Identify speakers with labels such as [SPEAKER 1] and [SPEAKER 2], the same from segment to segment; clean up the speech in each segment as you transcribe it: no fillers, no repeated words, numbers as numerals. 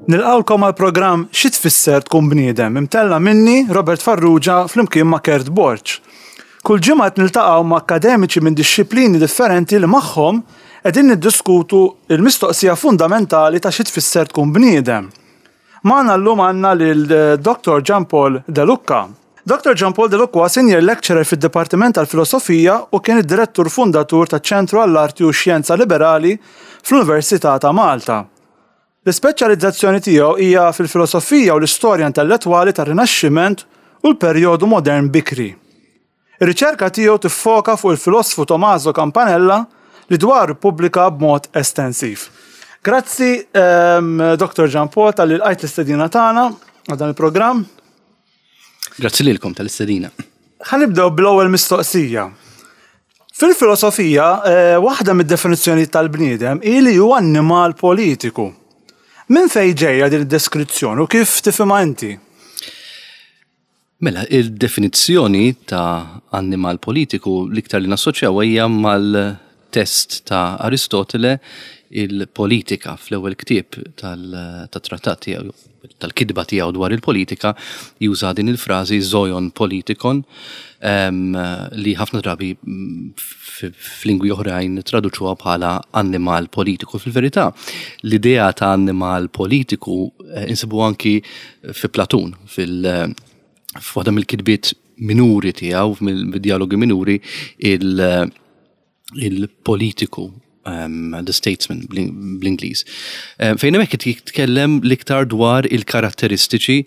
[SPEAKER 1] Nilqgħukom għall-programm Xi Tfisser Tkun Bniedem imtella' minni, Robert Farrugia, flimkien ma' Kurt Borg. Kull ġimgħa qed niltaqgħu ma' akkademiċi minn dixxiplini differenti li magħhom qegħdin niddiskutu l-mistoqsija fundamentali ta' xi tfisser tkun bniedem. Magħna llum għandna lil Dottor Jean Paul De Lucca. Dottor Jean Paul De Lucca huwa Senior Lecturer fid-Dipartiment tal-Filosofija u kien id-Direttur Fundatur taċ-Ċentru għall-Arti u x-Xjenza Liberali fl-Università ta' Malta. L-ispeċjalizzazzjoni tiegħu hija fil-filosofija u l-istorja intellettwali tar-Rinaxximent u l-perjodu modern bikri. Ir-riċerka tiegħu tiffoka fuq il-filosfu Tommaso Campanella li dwaru ppubblika b'mod estensiv. Grazzi Dr. Jean Paul talli lqajt l-istedina tagħna għal dan il-programm.
[SPEAKER 2] Grazzi lilkom tal-istedina.
[SPEAKER 1] Ħa nibdew bl-ewwel mistoqsija. Fil-filosofija, eh, waħda mid-definizzjoni tal-bniedem hi li huwa annimal politiku. Minn fejn ġejja din id-deskrizzjoni u kif tifhimha inti?
[SPEAKER 2] Mela, il-definizzjoni ta' annimal politiku l-iktar li nassoċjawha hija mal-test ta' Aristotele il-Politika fl-ewwel ktieb tat-trattat tiegħu, tal-kitba tiegħu dwar il-politika, juża din il-frażi zoion politikon li ħafna drabi f'lingwi oħrajn traduċuha bħala annimal politiku. Fil-verità, l-idea ta' annimal politiku eh, insibu anki fi Platun, fil f'waħda mill-kitbiet minuri tiegħu, mill-dialogi minuri, il-politiku, um, the statesman bl-Ingliż. Um, fejn hemmhekk qed jitkellem l-iktar dwar il-karatteristiċi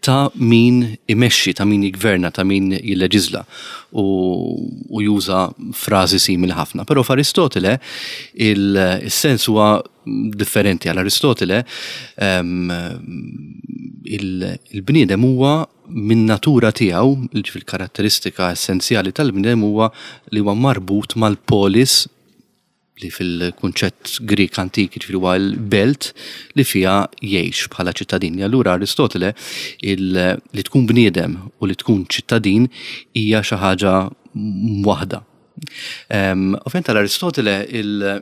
[SPEAKER 2] ta' min imexxi, ta' min jigverna, ta' min jilleġiżla u, u juża frażi simili ħafna. Però f'Aristotele il-sens huwa differenti għal Aristotele, ehm, il-bniedem huwa minn natura tiegħu, fil-karatteristika essenzjali tal-bniedem huwa li huwa marbut mal-polis li fil-kunċett Grieg antik jiġifieri huwa l-belt li fiha jgħix bħala ċittadin. Allura Aristotele li tkun bniedem u li tkun ċittadin hija xi ħaġa waħda. Ehm, ovvjament għal Aristotele il-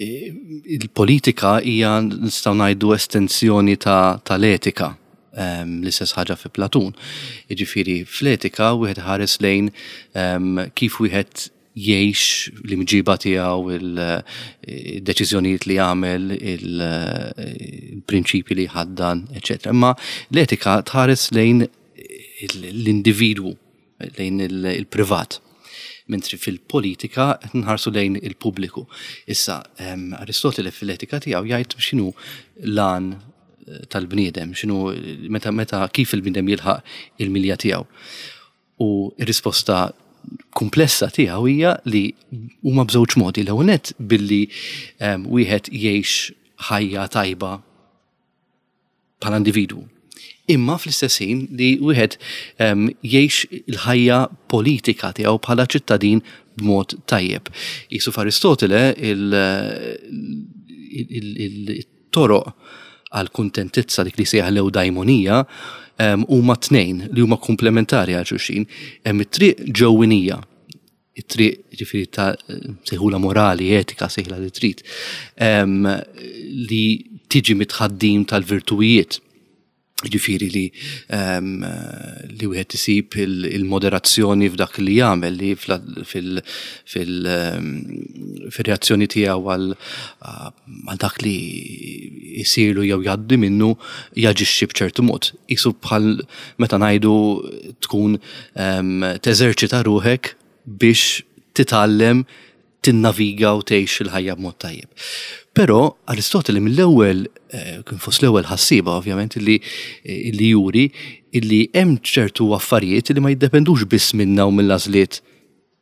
[SPEAKER 2] Il-politika hija nistgħu ngħidu estensjoni tal-etika, ehm, l-istess ħaġa fi Platun. Jiġifieri fl-etika wieħed ħares lejn ehm, kif wieħed jgħix l-imġiba tiegħu, il-deċiżjonijiet li jagħmel, il-prinċipji li jħaddan, eċetera. Imma l-etika tħares lejn l-individwu lejn il-privat. Mentri fil-politika qed nħarsu lejn il-pubbliku. Issa, ehm, Aristotele fil-etika tiegħu jgħid x'inhu l-għan eh, tal-bniedem, x'inhu meta meta kif il-bniedem jilħaq il-milja tiegħu. U r-risposta komplessa tiegħu hija li huma b'żewġ modi. L-ewwel nett billi ehm, wieħed jgħix ħajja tajba bħala individwu. Imma fl-istess ħin li wieħed ehm, jgħix il-ħajja politika tiegħu bħala ċittadin b'mod tajjeb. Jisu f'Aristotele il-toroq għal kuntentizza dik li sejjaħ l-ewdajmonija ehm, huma tnejn li huma komplementari għal xulxin. Hemm it-triq ġewwinija it-triq ġifieri ta' sejħula morali, etika, sejħla li trid, li tiġi mitħaddim tal-virtuwijiet. Ġifieri li li wieħed isib il-moderazzjoni f'dak li jagħmel li fil-reazzjoni tiegħu għal dak li jsirlu jew jgħaddi minnu jaġixxi b'ċertu mod. Isu bħal meta ngħidu tkun teżerċita ruħek biex titgħallem tinnaviga u tgħix il-ħajja b'mod tajjeb. Però Aristotele mill-ewwel eh, kien fost l-ewwel ħassieba ovvjament li eh, li juri illi hemm ċertu affarijiet li ma jiddependux biss minna u mill-għażliet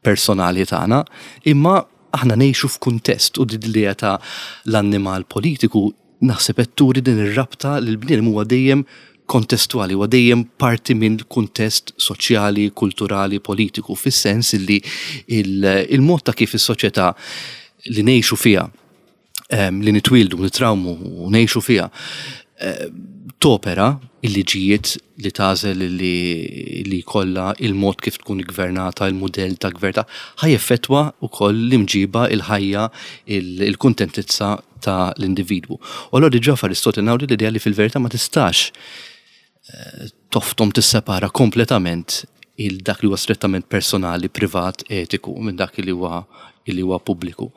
[SPEAKER 2] personali tagħna, imma aħna ngħixu f'kuntest u din l-idea ta' l-annimal politiku naħseb qed turi din ir-rabta li l-bniedem huwa dejjem kontestwali, huwa dejjem parti minn kuntest soċjali, kulturali, politiku, fis-sens li il-mod ta' kif is-soċjetà li ngħixu fiha, li nitwieldu, nitrawmu u ngħixu fiha, topera il-liġijiet li tagħżel li li jkollha il-mod kif tkun iggvernata, il-mudell ta' gvern ta' ħa jeffettwa wkoll l-imġiba, il-ħajja, il-kuntentizza ta' l-individwu. U allura diġà f'Aristotile naraw din l-idea li fil-verità ma tistax toftom tissepara kompletament il dak li huwa strettament personali, privat, etiku minn dak li huwa li huwa pubbliku.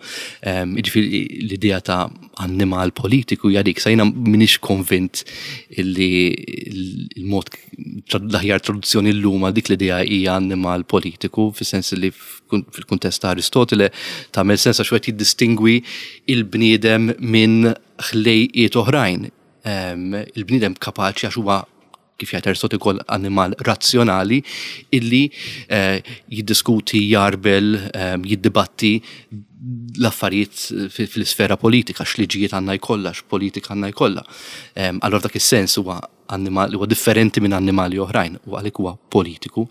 [SPEAKER 2] Jiġifieri l-idea ta' annimal politiku hija dik, sa jiena m'iniex konvint li l-mod l-aħjar traduzzjoni llum għal dik l-idea hija annimal politiku, fis-sens li fil-kuntest ta' Aristotile tagħmel sens għax wieħed jiddistingwi il-bniedem minn ħlejqiet oħrajn. Il-bniedem kapaċi għax huwa kif jgħid Aristotle ukoll annimal razzjonali illi eh, jiddiskuti, jarbel, jiddibatti l-affarijiet fl-isfera politika, x'liġijiet għandna jkollha, x'politika għandna jkollha. Allora dak is-sens huwa annimal huwa differenti minn annimali oħrajn u għalhekk huwa politiku.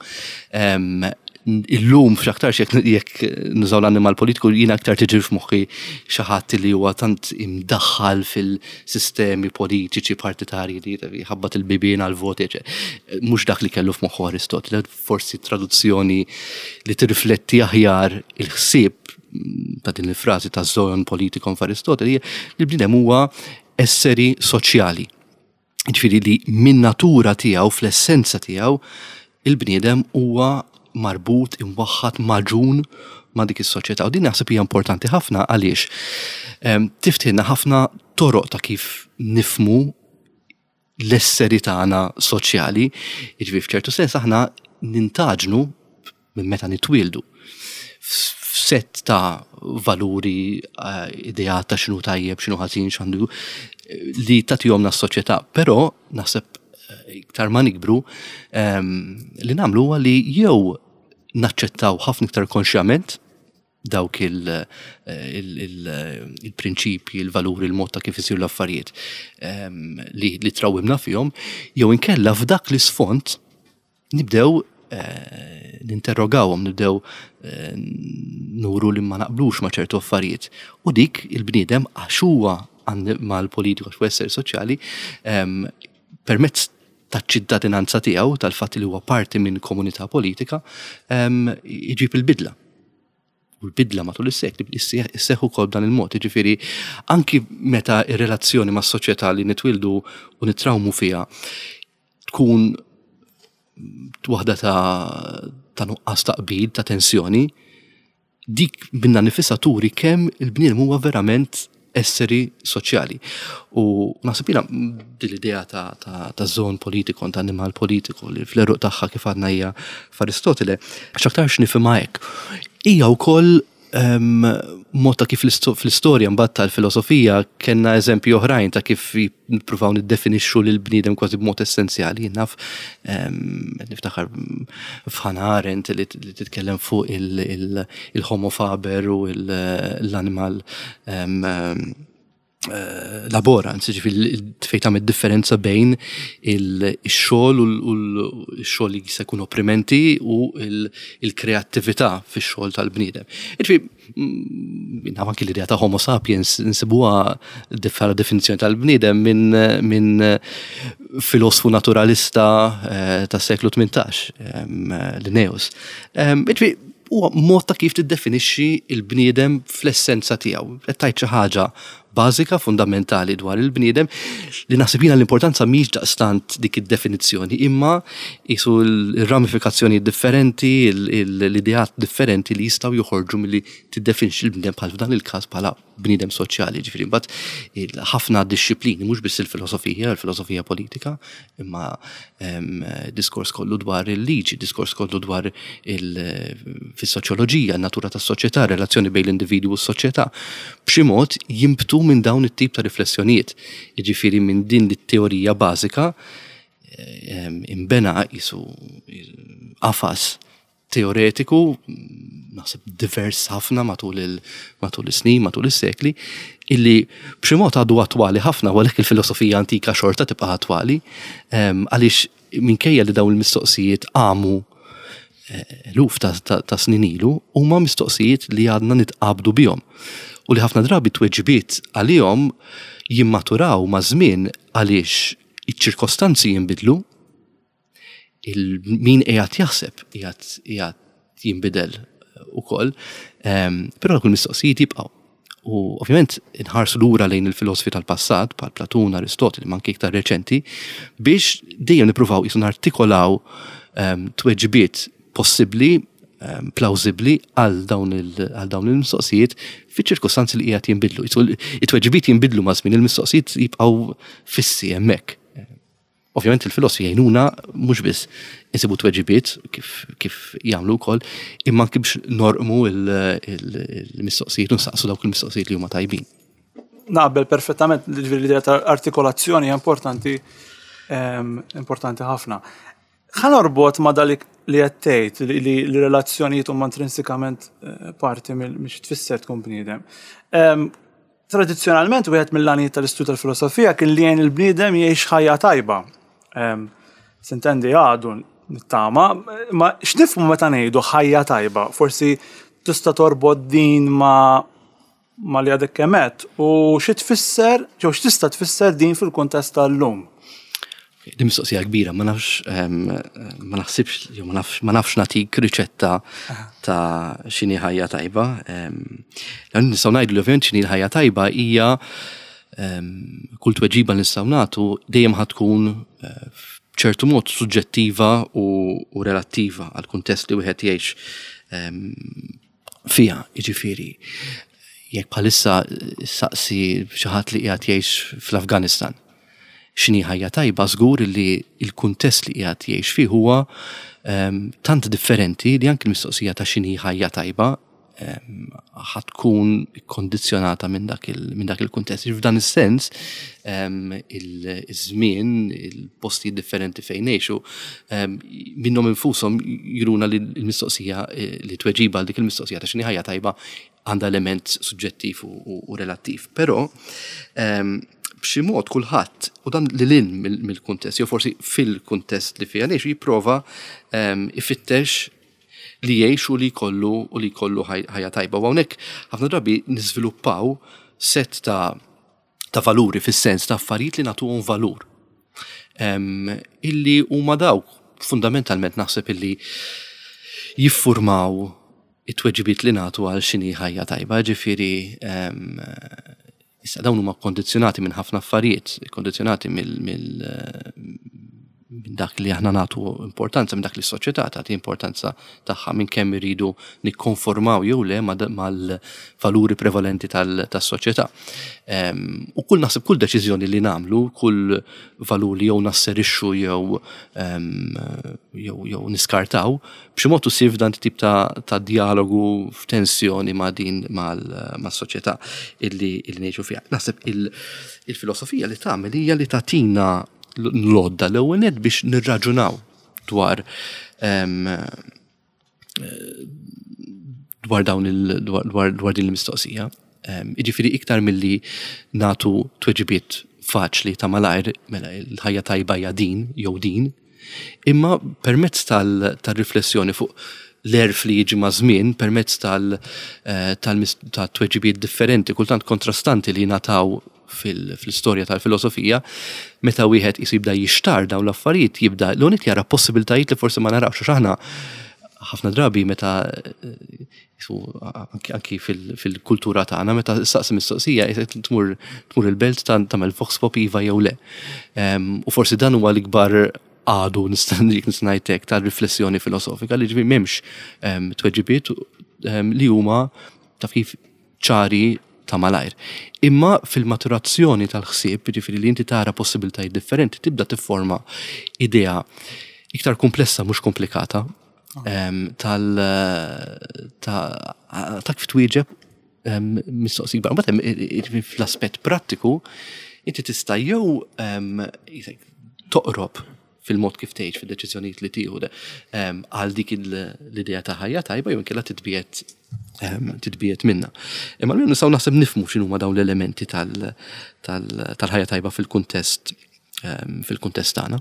[SPEAKER 2] Illum f'x'aktarx jekk nużaw l-annimal politiku jiena aktar tiġi f'moħħi xi ħadd li huwa tant imdaħħal fil-sistemi politiċi partitarji li jħabbat il-bibien għall-voti, mhux dak li kellu f'moħħu Aristotile, forsi traduzzjoni li tirrifletti aħjar il-ħsieb ta' din il-frażi ta' zoon politikon f'Aristotile hija li l-bniedem huwa esseri soċjali. Ġifieri li min-natura tiegħu, fl-essenza tiegħu, il-bniedem huwa marbut, imwaħħad, magħġun ma' dik is-soċjetà. U din naħseb hija importanti ħafna għaliex ehm, tiftħilna ħafna toroq ta' kif nifmu l-esseri tagħna soċjali. Jiġifieri f'ċertu sens aħna nintaġnu minn meta nitwieldu f'sett ta' valuri, eh, ideat ta' x'inhu tajjeb, x'inhu ħażin, x'għandu eh, li tagħtihomna s-soċjetà. Però naħseb eh, iktar ma nikbru ehm, li nagħmlu huwa li jew naċċettaw ħafna iktar konxjament dawk il-prinċipji, il-valuri, il-mod ta' kif isiru l-affarijiet ehm, li trawimna fihom, jew inkella f'dak l-isfond nibdew eh, ninterrogawhom, nibdew eh, nuru li ma naqblux ma' ċertu affarijiet. U dik il-bniedem għax huwa mal-politiku għax esseri soċjali ehm, permezz taċ-ċittadinanza tiegħu, tal-fatt li huwa parti minn komunità politika, ehm, iġib il-bidla. U l-bidla matul is-sekli isseħħ ukoll b'dan il-mod. Jiġifieri anki meta r-relazzjoni mas-soċjetà li nitwildu u nitrawmu fiha tkun waħda ta' ta' nuqqas ta' qbil, ta' tensjoni, dik minna nifisha turi kemm il-bniedem huwa verament esseri soċjali. U naħseb jiena din l-idea ta', ta, ta' zon politiku, ta' animal politiku li fl-eruq tagħha kif għadna hija f'Aristotile, x'aktarx nifhimha hekk. Hija wkoll um, mod ta' kif fl-istorja mbagħad tal-filosofija kellna eżempji oħrajn ta' kif nippruvaw niddefinixxu lil bniedem kważi b'mod essenzjali. Naf ehm, niftakar f'Hannah Arendt li titkellem fuq il-homo faber u l-animal ehm, eh, laborans, ġifiri fejn tagħmel differenza bejn il-xogħol u l-xogħol li jista' jkun opprimenti u il-kreattività fix-xogħol tal-bniedem. Ġifieri mm, naf anki l-idea ta' Homo sapiens nsibuha bħala definizzjoni tal-bniedem minn min filosfu naturalista eh, tas-seklu 18, Linnaeus. Ġifieri huwa mod ta' kif tiddefinixxi l-bniedem fl-essenza tiegħu. Qed tgħid xi ħaġa bażika, fundamentali dwar il-bniedem li naħseb jiena l-importanza mhix daqstant dik id-definizzjoni, imma qisu l-ramifikazzjonijiet differenti, l-ideat differenti li jistgħu joħorġu milli tiddefinixxi l-bniedem bħal f'dan il-każ bħala bniedem soċjali, ġifieri mbagħad ħafna dixxiplini, mhux biss il-filosofija, il-filosofija politika, imma ehm, diskors kollu dwar il-liġi, diskors kollu dwar fis-soċjoloġija, natura tas-soċjetà, relazzjoni bejn l-individwu u s-soċjetà, b'xi mod jimbtu minn dawn it-tip ta' riflessjonijiet. Jiġifieri minn din it-teorija bażika ehm, imbena jisu qafas teoretiku, naħseb divers ħafna matul il matul is-snin, matul is-sekli, illi b'xi mod għadu attwali ħafna, u għalhekk il-filosofija antika xorta tibqa' attwali, ehm, għaliex minkejja li dawn il-mistoqsijiet qamu eh, eluf ta', ta, ta snin ilu, huma mistoqsijiet li għadna nitqabdu bihom. U li ħafna drabi tweġibiet għalihom jimmaturaw maż-żmien għaliex iċ-ċirkostanzi jinbidlu, il-min qiegħed jaħseb qiegħed jinbidel ukoll, però dawk il-mistoqsijiet jibqgħu. U ovvjament inħarsu lura lejn il-filosofi tal-passat, bħal Platun, Aristoteli, ma anke iktar reċenti, biex dejjem nippruvaw qisu nartikolaw tweġibiet possibbli, plawżibbli għal dawn il-mistoqsijiet fiċ-ċirkustanzi li qiegħed jinbidlu. It-tweġibiet jinbidlu maż-żmien, il-mistoqsijiet jibqgħu fissi hemmhekk. Ovvjament il-filosofi jgħinuna mhux biss insibu tweġibiet kif, kif jagħmlu wkoll, imma anki biex norqmu il-mistoqsijiet u nsaqsu dawk il-mistoqsijiet li huma tajbin.
[SPEAKER 1] Naqbel perfettament ġifieri l-idea ta' artikolazzjoni hija importanti ehm, importanti ħafna. Ħa norbot ma' dalik li qed tgħid li l-relazzjonijiet huma intrinsikament eh, parti minn xi tfisser tkun bniedem. Ehm, tradizzjonalment wieħed mill-għanijiet tal-istudju tal-filosofija kien li jgħin il-bniedem jgħix ħajja tajba. Ehm, sintendi għadu nittama, ma x'nifhmu meta ngħidu ħajja tajba? Forsi tista' torbot din ma' ma li għadek kemm għedt u xi tfisser jew x'tista' tfisser din fil-kuntest tal-lum?
[SPEAKER 2] Din mistoqsija kbira, ma nafx ehm, ma naħsibx jew ma nafx ma nafx nagħtik riċetta ta' x'inhi ħajja tajba. Ehm, nistgħu ngħidu li ovvjament x'inhi l-ħajja tajba hija ehm, kull tweġiba li nistgħu nagħtu dejjem ħa tkun eh, b'ċertu mod suġġettiva u, u relattiva għal kuntest li wieħed jgħix fiha, jiġifieri jekk bħalissa saqsi xi ħadd li qiegħed jgħix fl-Afganistan x'inhi ħajja tajba żgur li l-kuntest li qiegħed jgħix fih huwa ehm, tant differenti li anki l-mistoqsija ta' x'inhi ħajja tajba ehm, ħa tkun kondizzjonata minn dak il-kuntest. F'dan is-sens ehm, il-żmien, il-postijiet differenti fejn ngħixu, minnhom infushom juruna li l-mistoqsija eh, li tweġiba għal dik il-mistoqsija ta' x'inhi ħajja tajba għandha element suġġettiv u relattiv. Però b'xi mod kulħadd u dan lil hinn mill-kuntest, jew forsi fil-kuntest li fiha ngħixu jipprova ifittex li jgħix u li jkollu u li jkollu ħajja tajba. U hawnhekk ħafna drabi niżviluppaw set ta' ta' valuri fis-sens ta' affarijiet li nagħtuhom valur. Illi huma dawk fundamentalment naħseb illi jiffurmaw it-tweġibiet li nagħtu għal x'inhi ħajja tajba, ġifieri issa dawn huma kondizzjonati minn ħafna affarijiet, kondizzjonati mill minn dak li aħna nagħtu importanza, minn dak li s-soċjetà tagħti importanza tagħha, minn kemm iridu nikkonformaw jew le mal-valuri prevalenti tas-soċjetà. Ehm, u kull naħseb kull deċiżjoni li nagħmlu, kull valur li jew nasserixxu jew ehm, jew niskartaw, b'xi mod usir f'dan tip ta', ta dialogu f'tensjoni ma' din mas-soċjetà illi, illi ngħixu fiha. Naħseb il-filosofija li tagħmel hija li tagħtina l-għodda l-ewwel nett biex nirraġunaw dwar ehm, dwar dawn il dwar, dwar din il-mistoqsija. Ehm, jiġifieri iktar milli nagħtu tweġibiet faċli ta' malajr mela l-ħajja tajba hija din jew din, imma permezz tal-riflessjoni fuq l-għerf li jiġi maż-żmien permezz tal-tweġibiet differenti, kultant kontrastanti li jingħataw fl-istorja tal-filosofija, meta wieħed qisu jibda jixtarr dawn l-affarijiet, jibda l-unik jara possibiltajiet li forsi ma narawx għax aħna ħafna drabi meta anki fil-kultura tagħna meta saqsi mistoqsija tmur tmur il-belt tagħmel vox pop iva jew le. U forsi dan huwa l-ikbar għadu nista' ngħid hekk tal-riflessjoni filosofika li ġifieri m'hemmx tweġibiet li huma taf kif ċari ta' malajr. Imma fil-maturazzjoni tal-ħsieb, jiġifieri li inti tara possibiltajiet differenti, tibda tifforma idea iktar komplessa mhux komplikata tal ta' kif twieġeb mistoqsija kbar. Mbagħad fl-aspett prattiku, inti tista' jew toqrob fil-mod kif tgħix fid-deċiżjonijiet li tieħu għal dik l-idea ta' ħajja tajba jew inkella titbiegħed titbiegħed minnha. Imma l nistgħu naħseb nifhmu x'inhuma dawn l-elementi tal-ħajja tajba fil-kuntest fil-kuntest tagħna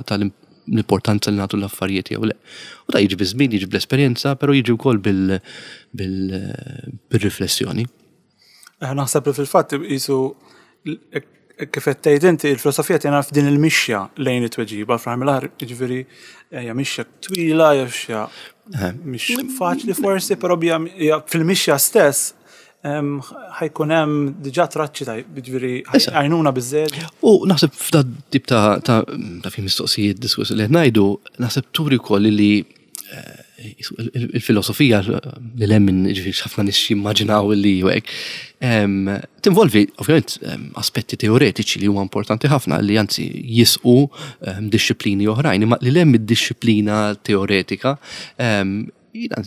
[SPEAKER 2] tal-importanza li nagħtu l-affarijiet jew le. U da jiġi biż-żmien, jiġi bl-esperjenza, però jiġi wkoll bil-riflessjoni.
[SPEAKER 1] Eh, naħseb li fil-fatt jisu kif qed tgħid inti il-filosofija tgħinna f'din il-mixja lejn it-tweġiba fl-aħħar mill-aħħar jiġifieri hija mixja twila, hija mixja eh. mhix faċli forsi, però fil-mixja stess ħajkun hemm diġà traċċi ta' jiġifieri għajnuna biżżejjed.
[SPEAKER 2] U naħseb f'da tip ta' ta' fi mistoqsijiet diskuss li qed ngħidu, naħseb turi wkoll li eh, il-filosofija li lemmin ġifieri ħafna nies jimmaġinaw li hekk, tinvolvi ovvjament aspetti teoretiċi li huma importanti ħafna li anzi jisqu dixxiplini oħrajn, imma li lemm id-dixxiplina teoretika jiena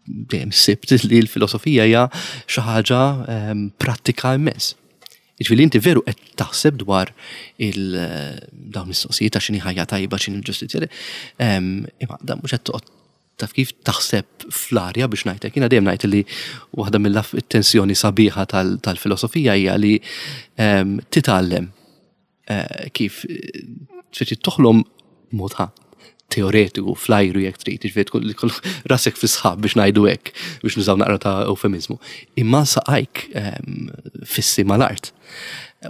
[SPEAKER 2] dejjem sibt li l-filosofija hija xi ħaġa prattika immens. Jiġifieri inti veru qed taħseb dwar il dawn mistoqsijiet ta' x'inhi ħajja tajba, x'inhi l-ġustizzja. Imma dan mhux qed toqgħod taf kif taħseb fl-arja biex ngħidlek. Jiena dejjem ngħid li waħda mill-tensjoni sabiħa tal-filosofija hija li titgħallem eh, kif speċi toħlom mod teoretiku fl-ajru jekk trid, jiġifieri tkun rasek fi sħab biex ngħidu hekk biex nużaw naqra ta' eufemizmu. Imma saqajk ehm, fissi mal-art.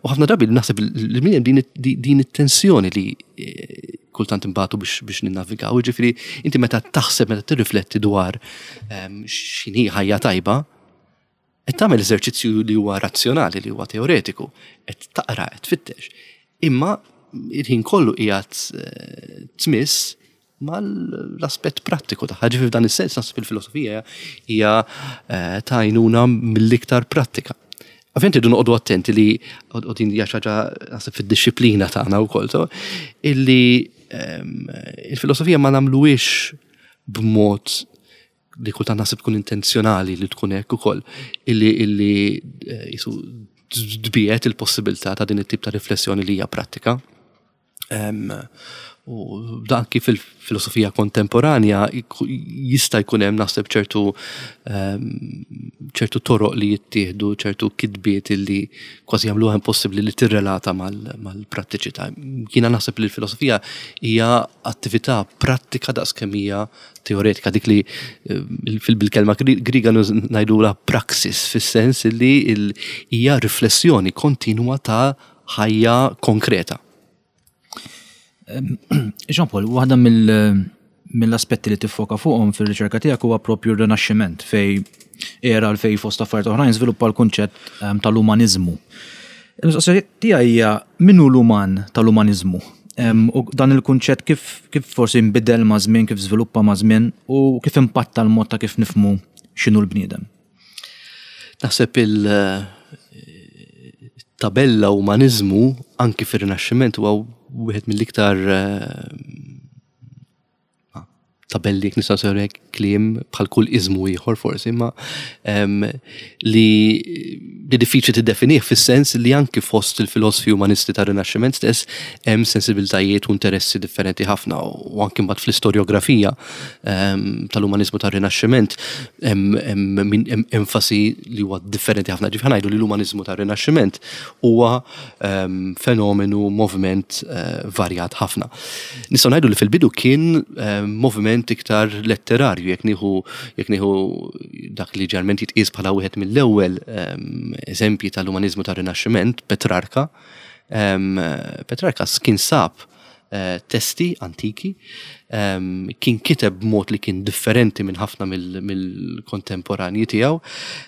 [SPEAKER 2] U ħafna drabi naħseb li min din din it-tensjoni li eh, kultant imbagħtu biex biex ninnavigaw, jiġifieri inti meta taħseb meta tirrifletti dwar ehm, x'inhi ħajja tajba, Qed tagħmel eżerċizzju li huwa razzjonali, li huwa teoretiku, qed taqra, qed tfittex. Imma il-ħin kollu qiegħed eh, tmiss mal-aspett prattiku tagħha. Ġifieri f'dan is-sens naħseb il-filosofija hija eh, ta' għajnuna mill-iktar prattika. Ovvjament irridu noqogħdu attenti li u din hija xi ħaġa naħseb fid-dixxiplina tagħna wkoll, illi ehm, il-filosofija ma nagħmluhiex b'mod li kultant naħseb tkun intenzjonali li tkun hekk ukoll illi illi eh, jisu tbiet il-possibilità ta' din it-tip ta' riflessjoni li hija prattika. U dan kif il-filosofija kontemporanja jista' jkun hemm naħseb ċertu ċertu toroq li jittieħdu, ċertu kitbiet li kważi jagħmluha impossibbli li tirrelata mal-prattiċità. Jiena naħseb li l-filosofija hija attività prattika daqskemm hija teoretika dik li eh, bil-kelma Griega ngħidulha praxis fis-sens li hija riflessjoni kontinwa ta' ħajja konkreta.
[SPEAKER 3] Jean Paul, waħda mill-aspetti li tiffoka fuqhom fir-riċerka tiegħek huwa propju r-Rinaxximent fej era l fej fost affarijiet oħrajn żviluppa l-kunċett tal-umaniżmu. Il-mistoqsija tiegħi hija min hu l-uman tal-umaniżmu? U dan il-kunċett kif, kif forsi nbidel ma' żmien, kif żviluppa ma' żmien u kif impatta l-mod ta' kif nifhmu x'inhu l-bniedem?
[SPEAKER 2] Naħseb il-tabella umaniżmu anki fir-Rinaxximent huwa wieħed mill-iktar eh, tabelli jekk nistgħu nsejħu hekk kliem bħal kull iżmu ieħor forsi, imma li li diffiċli tiddefinih fis-sens li anki fost il-filosfi umanisti tar-Rinaxximent stess hemm sensibiltajiet u interessi differenti ħafna u anki mbagħad fl-istorjografija tal-umaniżmu tar-Rinaxximent hemm enfasi li huwa differenti ħafna. Ġifieri ngħidu li l-umaniżmu tar-Rinaxximent huwa Ehm, fenomenu, moviment eh, varjat ħafna. Nistgħu ngħidu li fil-bidu kien ehm, moviment iktar letterarju, jekk nieħu jekk nieħu dak li ġerment jitqies bħala wieħed mill-ewwel ehm, eżempji tal-umaniżmu tar-Rinaxximent, Petrarka. Petrarka kien sab Eh, testi antiki, ehm, kien kiteb b'mod li kien differenti minn ħafna mill-kontemporanji tiegħu,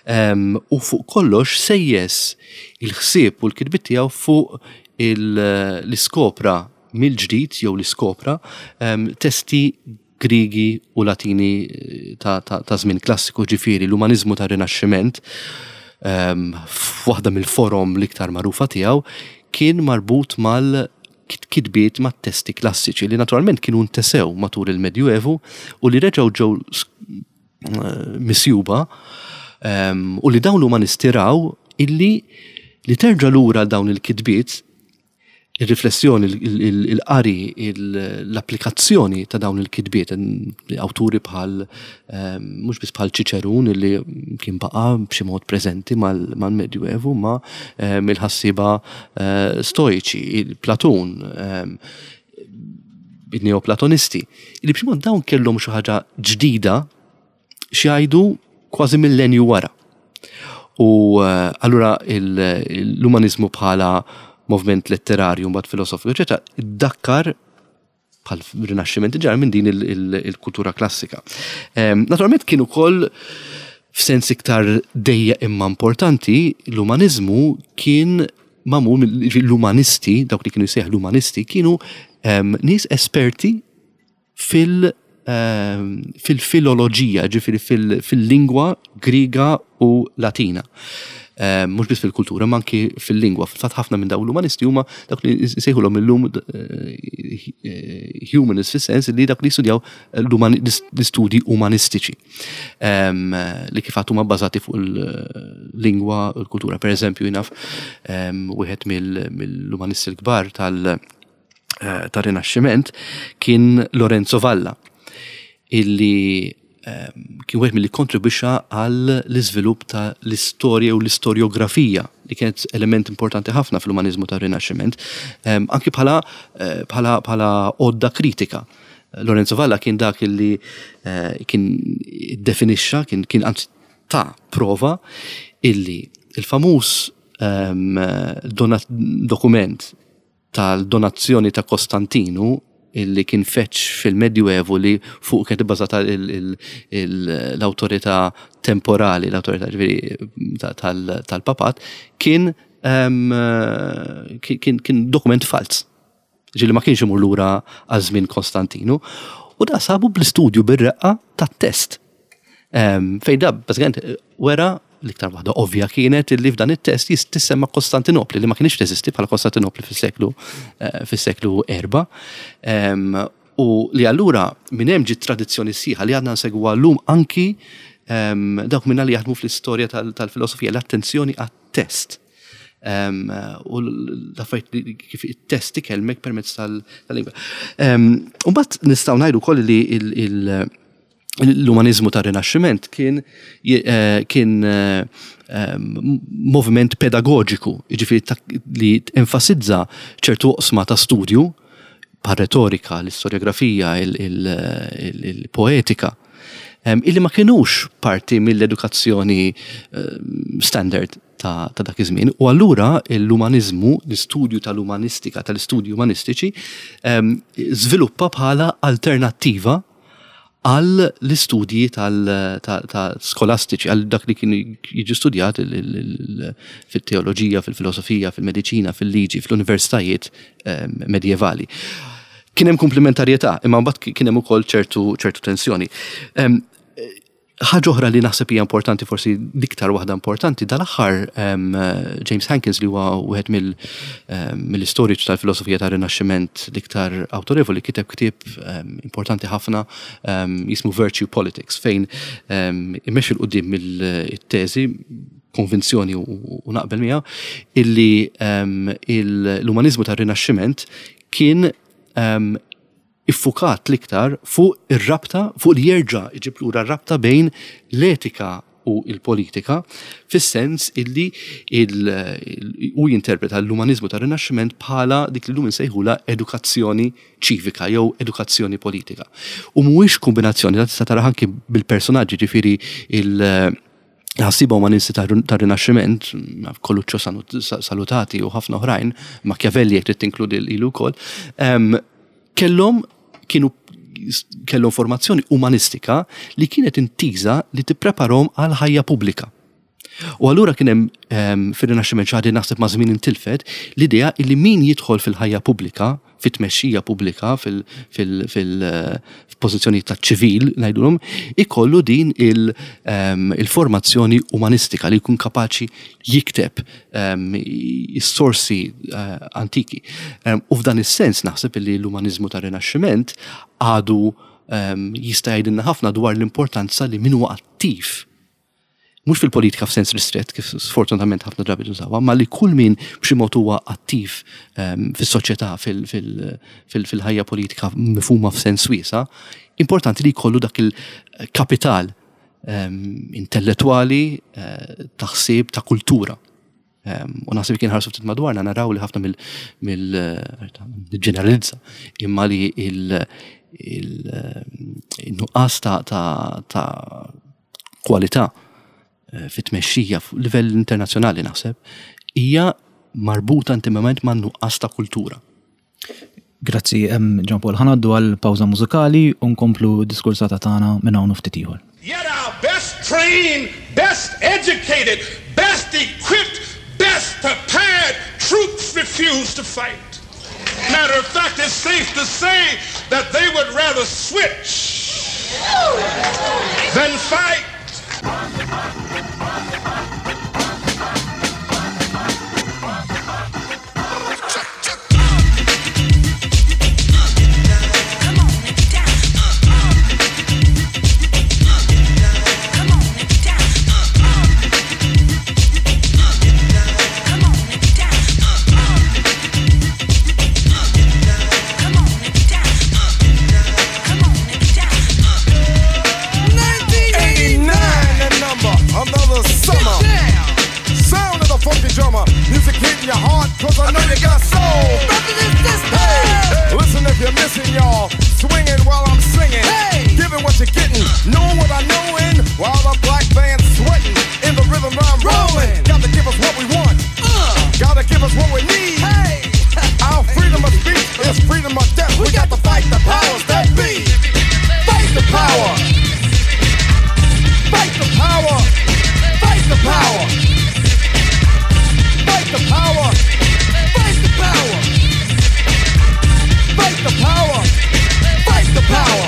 [SPEAKER 2] ehm, u fuq kollox sejjes il-ħsieb u l-kitbiet tiegħu fuq l-iskopra mill-ġdid jew l-iskopra ehm, testi Griegi u Latini eh, ta' żmien klassiku ġifieri l-umaniżmu tar-Rinaxximent ehm, f'waħda mill-forom l-iktar magħrufa tiegħu kien marbut mal kitbiet mat-testi klassiċi li naturalment kienu ntesew matul il-Medjuevu u li reġgħu ġew eh, misjuba ehm, u li dawn l-umanisti raw illi li terġa' lura dawn il-kitbiet ir-riflessjoni, il-qari, l-applikazzjoni ta' dawn il-kitbiet, awturi bħal ehm, mhux biss bħal Ċiċerun li kien baqa' b'xi mod preżenti mal-Medjuevu, ma ehm, il-ħassiba eh, stoiċi, Platun, ehm, il-neoplatonisti, li b'xi mod dawn kellhom xi ħaġa ġdida x'jgħidu kważi millenju wara. U eh, allura l-umanizmu bħala movement letterarju mbagħad filosofiku, eċetera, dakkar bħal rinaxximent ġar minn din il-kultura klassika. Ehm, naturalment kien ukoll f'sens iktar dejja imma importanti, l-umanizmu kien mamul l-umanisti, dawk li kienu jsejħ l-umanisti, kienu ehm, nies esperti fil- ehm, fil-filoloġija, ġifiri fil-lingwa Griega u Latina. Ehm, mhux biss fil-kultura, ma anki fil-lingwa. Fil-fatt ħafna minn dawn l-umanisti huma dak li nsejħulhom illum eh, eh, humanists fis-sens li dak li jistudjaw l-istudji umanistiċi ehm, li kif huma bbażati fuq il-lingwa u l-kultura. Per eżempju, jinaf ehm, wieħed mill-umanisti l-kbar tal- eh, tar-Rinaxximent kien Lorenzo Valla illi ehm, kien wieħed milli kontribwixxa għal l-iżvilupp ta' l-istorja u l-istorjografija li kienet element importanti ħafna fl-umanizmu tar-Rinaxximent, ehm, anki bħala eh, bħala bħala għodda kritika. Lorenzo Valla kien dak illi eh, kien definixxa, kien kien anzi ta' prova illi il-famuż ehm, dokument tal-donazzjoni ta' Kostantinu illi kien feċ fil-Medjuevu li fuq kienet ibbażata l-awtorità temporali, l-awtorità ġifieri tal-papat, kien ehm, kien dokument falz. Ġieli ma kienx imur lura għal żmien Kostantinu. U da sabu bl-istudju bir-reqqa tat-test. Fejn da bażikament wera l-iktar waħda ovvja kienet li f'dan it-test tissemma Kostantinopli li ma kienx teżisti bħala Kostantinopli fis-seklu eh, fis-seklu erba. U li allura minn hemm ġiet tradizzjoni sħiħa li għadna nsegwa llum anki dawk minna li jaħdmu fl-istorja tal-filosofija l-attenzjoni għat-test. U l-affarijiet kif it-test ikellmek permezz tal-lingwa. U mbagħad nistgħu ngħidu wkoll li l-umanizmu ta' rinaxximent kien eh, kien eh, moviment pedagogiku, jiġifieri li enfasizza ċertu oqsma ta' studju pa' retorika, l-istorjografija, il-poetika, illi ma kienux parti mill-edukazzjoni standard ta' dak iż-żmien. U allura l-umaniżmu, l-istudju tal-umanistika, tal-istudji umanistiċi, żviluppa bħala alternattiva għal l-istudji tal-skolastiċi, għal dak li kien jiġi studjat fit-teoloġija, fil-filosofija, fil-mediċina, fil-liġi, fl-universitajiet ehm, medjevali. Kien hemm komplementarjetà, imma mbagħad kien hemm ukoll ċertu ċertu tensjoni. Ehm, Ħaġa oħra li naħseb hija importanti, forsi l-iktar waħda importanti, dal-aħħar James Hankins li huwa wieħed mill-istoriċi tal-filosofija tar-Rinaxximent l-iktar awtorevoli kiteb ktieb importanti ħafna jismu Virtue Politics fejn imexxi 'l quddiem mill-teżi konvinzjoni u naqbel miegħu illi l-umaniżmu tar-Rinaxximent kien iffukat l-iktar fuq ir-rabta, fuq li jerġa' jġib lura r-rabta bejn l-etika u l-politika, fis-sens illi hu jinterpreta l-umaniżmu tar-Rinaxximent bħala dik li llum insejħulha edukazzjoni ċivika jew edukazzjoni politika. U mhuwiex kombinazzjoni, dan tista' taraha anki bil-personaġġi, ġifieri il- ħassiba umanisti tar-Rinaxximent, Coluccio Salutati u ħafna oħrajn, Machiavelli jekk trid tinkludi lilu wkoll, kellhom kienu kellhom formazzjoni umanistika li kienet intiża li tippreparhom għal ħajja pubblika. U allura kien hemm fir-Rinaxximent xi ħaġa li naħseb ma' żmien intilfet, l-idea li min jidħol fil-ħajja pubblika fit-tmexxija pubblika, fil-pożizzjonijiet taċ-ċivil, ngħidulhom, ikollu din ehm, il-formazzjoni umanistika li jkun kapaċi jikteb ehm, is-sorsi eh, antiki. Ehm, u f'dan is-sens naħseb li l-umaniżmu tar-Rinaxximent għadu jista' jgħidilna ħafna dwar l-importanza li min huwa attiv mhux fil-politika f'sens ristrett kif sfortunatament ħafna drabi tużawha, ma li kull min b'xi mod huwa attiv ehm, fis-soċjetà fil-ħajja politika mifhuma f'sens wiesa', importanti li jkollu dak il-kapital ehm, intellettwali, eh, ta' ħsieb, ta' kultura. Ehm, u naħseb kien ħarsu ftit madwarna naraw li ħafna mill-ġeneralizza imma li il-nuqqas ta' kwalità fit-tmexxija fuq livell internazzjonali naħseb hija marbuta intimament ma' nuqqas ta' kultura.
[SPEAKER 3] Grazzi, Jean Paul. Ħa ngħaddu għal pawża mużikali u nkomplu d-diskursata tagħna minn hawn u ftit ieħor.
[SPEAKER 4] Yet our best trained, best educated, best equipped, best prepared troops refuse to fight. Matter of fact, it's safe to say that they would rather switch than fight.
[SPEAKER 5] Your heart, cause I know you got soul. Hey, listen if you're missing, y'all. Swinging while I'm singing. Hey, giving what you're getting. Knowing what I knowin'. While the black band's sweating. In the rhythm I'm rolling. Got to give us what we want. Gotta give us what we need. Hey, our freedom of speech is freedom of death. We got to fight the powers that be. Fight the power. Fight the power. Fight the power. Fight the power. Fight the power. Fight the power. Fight the power.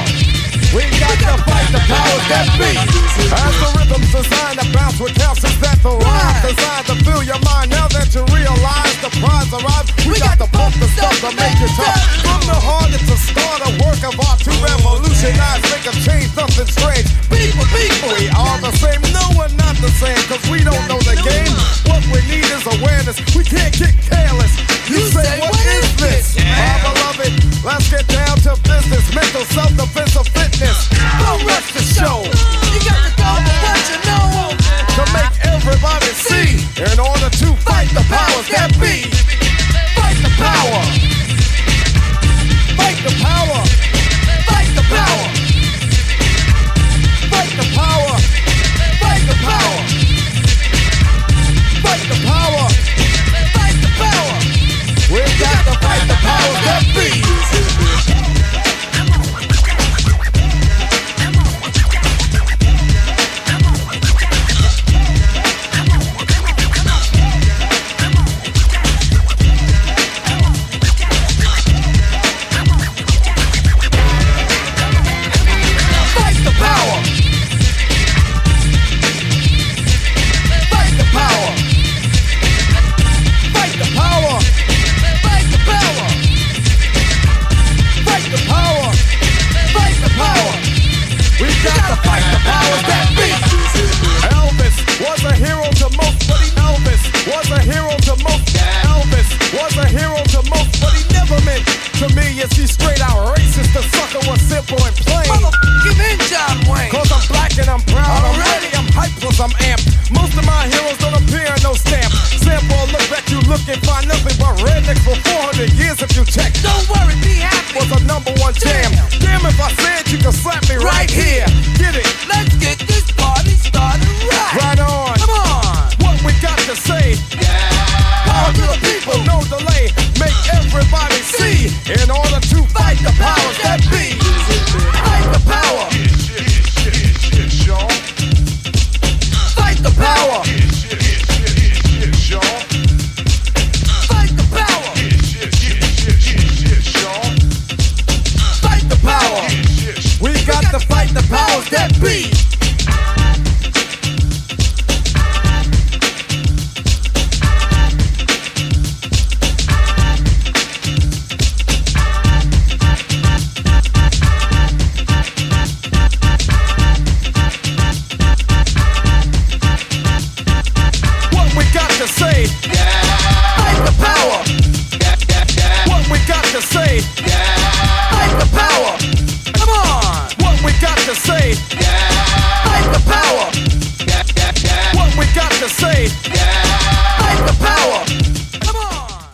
[SPEAKER 5] We got to fight the powers that be. As the rhythm's designed to bounce with counts, is that the rhyme designed to fill your mind? Now that you realize the prize arrives, we got to pump the stuff to make you tough. From the heart, it's a start, a work of art to revolutionize, make a change, nothing strange. People, people, we are the same. No, we're not the same, cause we don't know the game. What we need is awareness. We can't get careless. You say, what is this? My beloved, let's get down to business. Mental self-defense of fitness. Don't rest the show.
[SPEAKER 6] You got to go with what you know.
[SPEAKER 5] To make everybody see, in order to fight the powers that be. Fight the power. Fight the power. Fight the power. Fight the power. Fight the power. Fight the power.
[SPEAKER 6] Fight the power.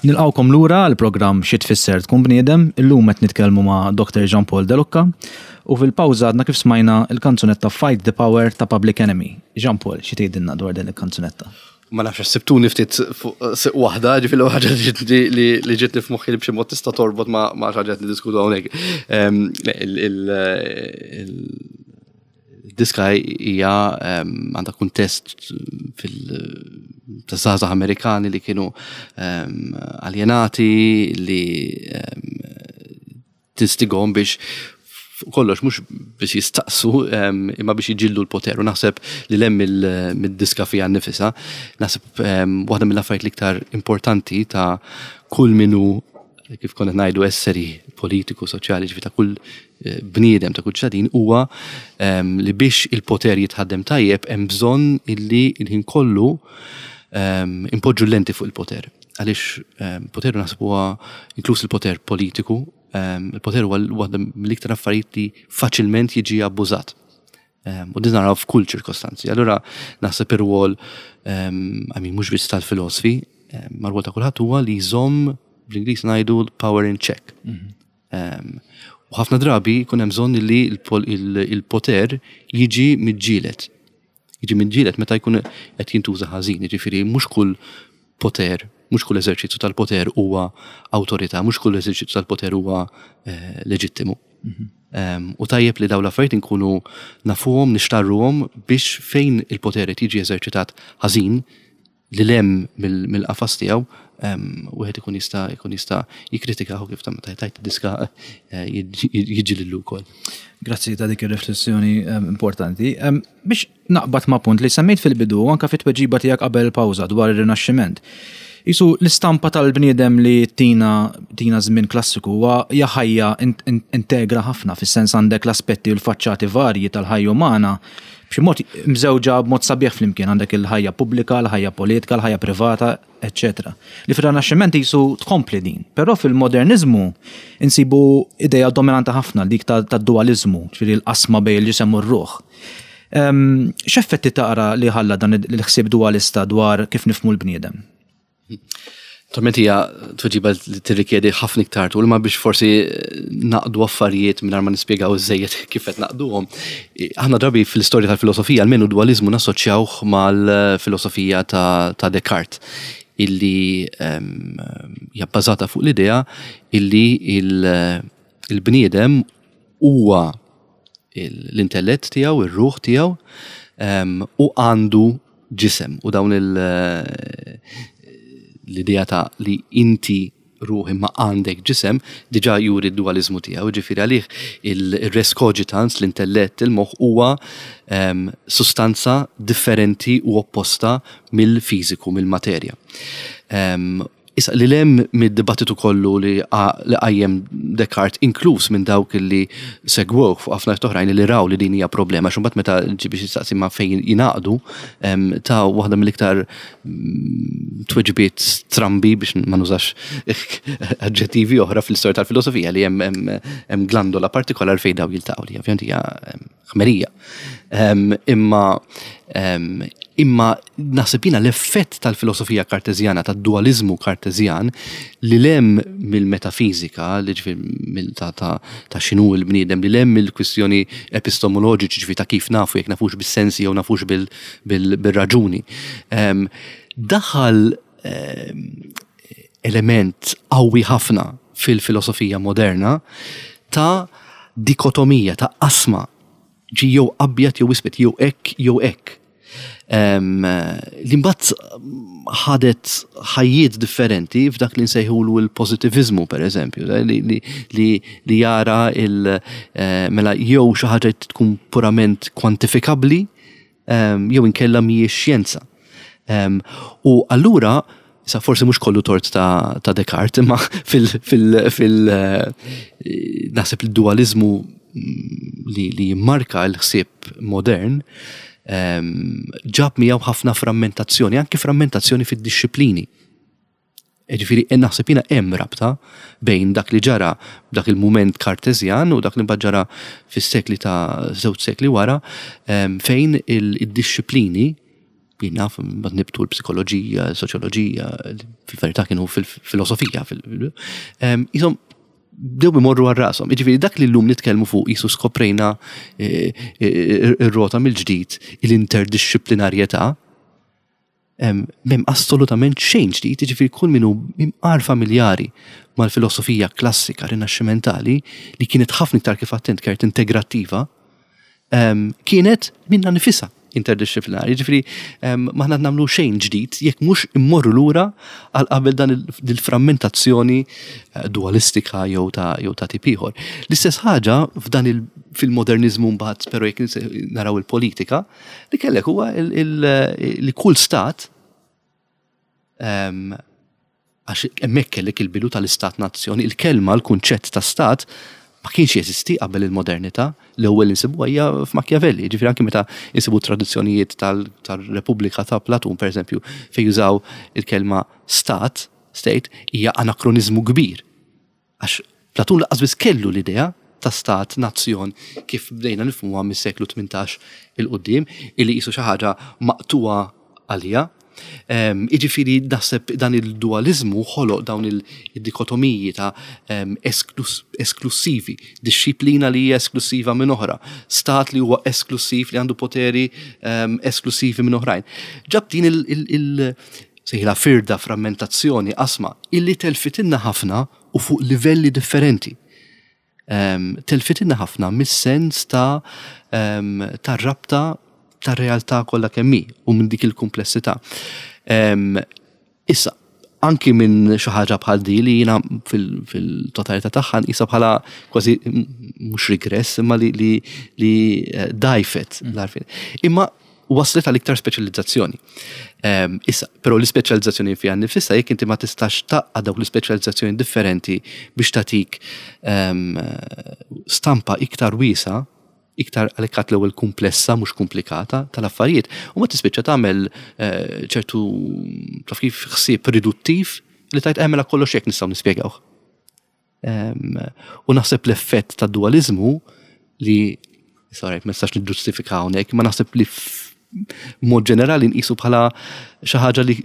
[SPEAKER 3] Nilqgħukom lura għall-programm Xi Tfisser Tkun Bniedem. Illum qed nitkellmu ma' Dr. Jean Paul De Lucca u fil-pawża għadna kif smajna l-kanzunetta Fight the Power ta' Public Enemy. Jean Paul, xi tgħidilna dwar din il-kanzunetta?
[SPEAKER 2] Ma nafx għax sibtuni ftit fuq siq waħda, ġifieri l-ewwel ħaġa li ġietni f'moħħi li b'xi mod tista' torbot ma' xi ħaġa qed niddiskutu hawnhekk. Diska hija għandha kuntest fil ta' żgħażagħ Amerikani li kienu aljenati li tistigom biex kollox mhux biex jistaqsu imma biex jiġillu l-poter. U naħseb li lem mid-diska fiha nnifisha, naħseb waħda mill-affarijiet l-iktar importanti ta' kull minu kif konna ngħidu esseri politiku, soċjali, ġifi ta' kull eh, bniedem ta' kull ċittadin huwa ehm, li biex il-poter jitħaddem tajjeb hemm bżonn illi il-ħin kollu ehm, impoġġu l-lenti fuq il-poter. Għaliex ehm, poter naħseb huwa inkluż il-poter politiku, il-poter huwa waħda mill-iktar affarijiet li faċilment jiġi abbużat. U din naraw f'kull ċirkostanzi. Allura naħseb ir-rwol, I mean, mhux biss tal-filosfi, ma rwol ta' kulħadd huwa li jżomm bl-Ingliż ngħidu power in check. Mhm. U ħafna drabi jkun hemm bżonn li il-poter jiġi miġġielet. Jiġi miġġielet meta jkun qed jintuża ħażin, jiġifieri mhux kull poter, mhux kull eżerċizzju tal-poter huwa awtorità, mhux kull eżerċizzju tal-poter huwa eh, leġittimu. Mhm. U tajjeb li dawn l-affarijiet inkunu nafuhom, nixtarruhom biex fejn il-poter qed jiġi eżerċitat ħażin lil hemm mill-qafas tiegħu, wieħed ikun jista' jkun jista' jikkritikah u kif ta' meta tajt diska eh, jiġi lillu wkoll.
[SPEAKER 3] Grazzi ta' dik ir-riflessjoni importanti. Biex naqbad ma' punt li semmejt fil-bidu anka fit-tweġiba tiegħek qabel pawża dwar ir-Rinaxximent. Isu l-istampa tal-bniedem li tina tina żmien klassiku huwa hija ħajja integra ħafna fis-sens għandek l-aspetti u l-faċċati varji tal-ħajja umana b'xi mod mżewġa b'mod sabiħ flimkien għandek il-ħajja pubblika, l-ħajja politika, l-ħajja privata, eċċetera. Li fir-Rinaxximent qisu tkompli din. Però fil-moderniżmu insibu idea dominanti ħafna dik tad-dualiżmu, ġifieri l-qasma bejn il-ġisem u r-ruħ. X'effetti tara li ħalla dan il-ħsieb dualista dwar kif nifhmu l-bniedem?
[SPEAKER 2] Naturalment hija tweġiba li tirrikjedi ħafna iktar tul, ma biex forsi naqdu affarijiet mingħajr ma nispjegaw iżejjed kif qed naqduhom. Aħna drabi fl-istorja tal-filosofija almenu dualiżmu nassoċjawh mal-filosofija ta' Descartes illi hija bbażata fuq l-idea illi il-bniedem huwa l-intellett tiegħu, ir-ruħ tiegħu, u għandu ġisem u dawn l-idea ta' li inti ruħ imma għandek ġisem diġà juri d-dualiżmu tiegħu, ġifieri għalih il-res cogitans, l-intellett, il-moħħ huwa sustanza differenti u opposta mill-fiżiku, mill-materja. Issa, lil hemm mid-dibattitu kollu li qajjem Descartes, inkluż minn dawk li segwewh fuq ħafna oħrajn li raw li din hija problema, għax imbagħad meta ġie biex jistaqsi ma fejn jingħaqdu, ta waħda mill-iktar mm, tweġibiet strambi biex ma nużax aġġettivi oħra fl-istorja tal-filosofija li hemm glandola partikolar fejn daw jiltaqgħu li ovvjament hija ħmerija. Imma imma naħseb jiena l-effett tal-filosofija karteżjana, tad-dualiżmu karteżjan li lem mill-metafiżika, li ġifieri ta' ta' x'inhu l-bniedem, li lem mill-kwistjoni epistemoloġiċi ġifieri ta' kif nafu jekk nafux bis-sensi jew nafux bil-raġuni. Daħal element qawwi ħafna fil-filosofija moderna ta' dikotomija, ta' qasma, ġi jew abjad jew iswed, jew hekk jew hekk. Li mbagħad ħadet ħajjiet differenti f'dak li nsejħulu l-pożittiviżmu pereżempju, li, li, li jara il eh, mela jew xi ħaġa tkun purament kwantifikabbli jew inkella mhijiex xjenza. U allura, sa forsi mhux kollu tort ta', ta Descartes, imma fil, fil, fil eh, naħseb il-dualizmu mm, li, li jimmarka l-ħsieb modern ġab miegħu ħafna frammentazzjoni, anki frammentazzjoni fid-disciplini. Jiġifieri naħseb jiena hemm rabta bejn dak li ġara f'dak il-mument Karteżjan u dak li mbagħad ġara fis-sekli ta' żewġ sekli wara fejn id-dixxiplini Jien naf, mbagħad nibtu l-psikoloġija, l-soċjoloġija, fil-verità kienu fil-filosofija, jisom bdew imorru għal rashom. Jiġifieri dak li llum nitkellmu fuq jisu skoprejna eh, eh, ir-rota mill-ġdid l-interdixxiplinarjetà, m'hemm assolutament xejn ġdid, jiġifieri kull min hu imqar familjari mal-filosofija klassika rinaxximentali li kienet ħafna iktar kif attent kert integrattiva, kienet minnha nifisha interdixxiplinari. Jiġifieri m'aħna nagħmlu xejn ġdid jekk mhux immorru lura għal qabel dan il-frammentazzjoni eh, dualistika jew ta' jew ta' tip ieħor. L-istess ħaġa f'dan il fil-moderniżmu mbagħad però jekk naraw il-politika, li kellek huwa li kull stat għax hemmhekk kellek il-bidu tal-istat nazzjon, il-kelma, l-kunċett ta' stat ma kienx jeżisti qabel il-modernità, l-ewwel insibuha hija f'Machiavelli, ġifieri anke meta insibu tradizzjonijiet tal-Repubblika ta' Platun pereżempju fejn jużaw il-kelma stat, state, hija anakroniżmu kbir. Għax Platun lanqas biss kellu l-idea ta' stat, nazzjon, kif bdejna nifhmuha mis-seklu 18 'il quddiem, illi qisu xi ħaġa maqtugħa għaliha. Jiġifieri naħseb dan il-duwaliżmu ħoloq dawn id-dikotomiji ta' esklussivi, dixxiplina li hija esklussiva minn oħra, stat li huwa esklussiv li għandu poteri esklussivi minn oħrajn. Ġab din il- sejħilha firda, frammentazzjoni, qasma, illi telfitilna ħafna u fuq livelli differenti. Um, telfitilna ħafna mis-sens ta' um, ta' rabta ta' realtà kollha kemm hi u minn dik il-kumplessità. Um, issa, anki minn xi ħaġa bħal di li jiena fil-totalità tagħha nqisha bħala kważi mhux regress imma li li, li eh, dajfet l-għarfien. Imma waslet għal iktar speċjalizzazzjoni. Ehm, issa, però l-ispeċjalizzazzjoni fiha nnifisha jekk inti ma tistax taqqa' dawk l-ispeċjalizzazzjoni differenti biex tagħtik ehm, stampa iktar wiesa, iktar għalhekk għad l-ewwel komplessa mhux komplikata tal-affarijiet, u ma tispiċċa tagħmel eh, ċertu taf kif ħsieb riduttiv li tajt eh, mela kollox hekk nistgħu nispjegawh. U naħseb l-effett ta' dualizmu li sorry, ma nistax niġġustifika hawnhekk, ma naħseb li mod ġenerali nqisu bħala xi ħaġa li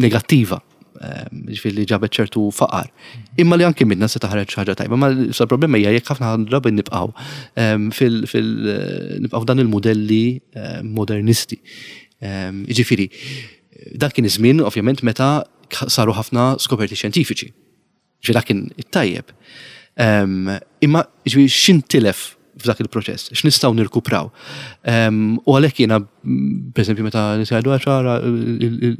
[SPEAKER 2] negattiva, ġifieri li ġabet ċertu faqar. Imma li anki minna se taħreġ xi ħaġa tajba, ma sa problema hija jekk ħafna drabi nibqgħu fil nibqgħu dan il-modelli modernisti. Ġifieri, dak kien iż-żmien ovvjament meta saru ħafna skoperti xjentifiċi. Ġifieri dak kien it-tajjeb. Imma ġifieri x'intilef f'dak il-proċess, x'nistgħu nirkupraw. U għalhekk jiena, pereżempju, meta nisajdu ċara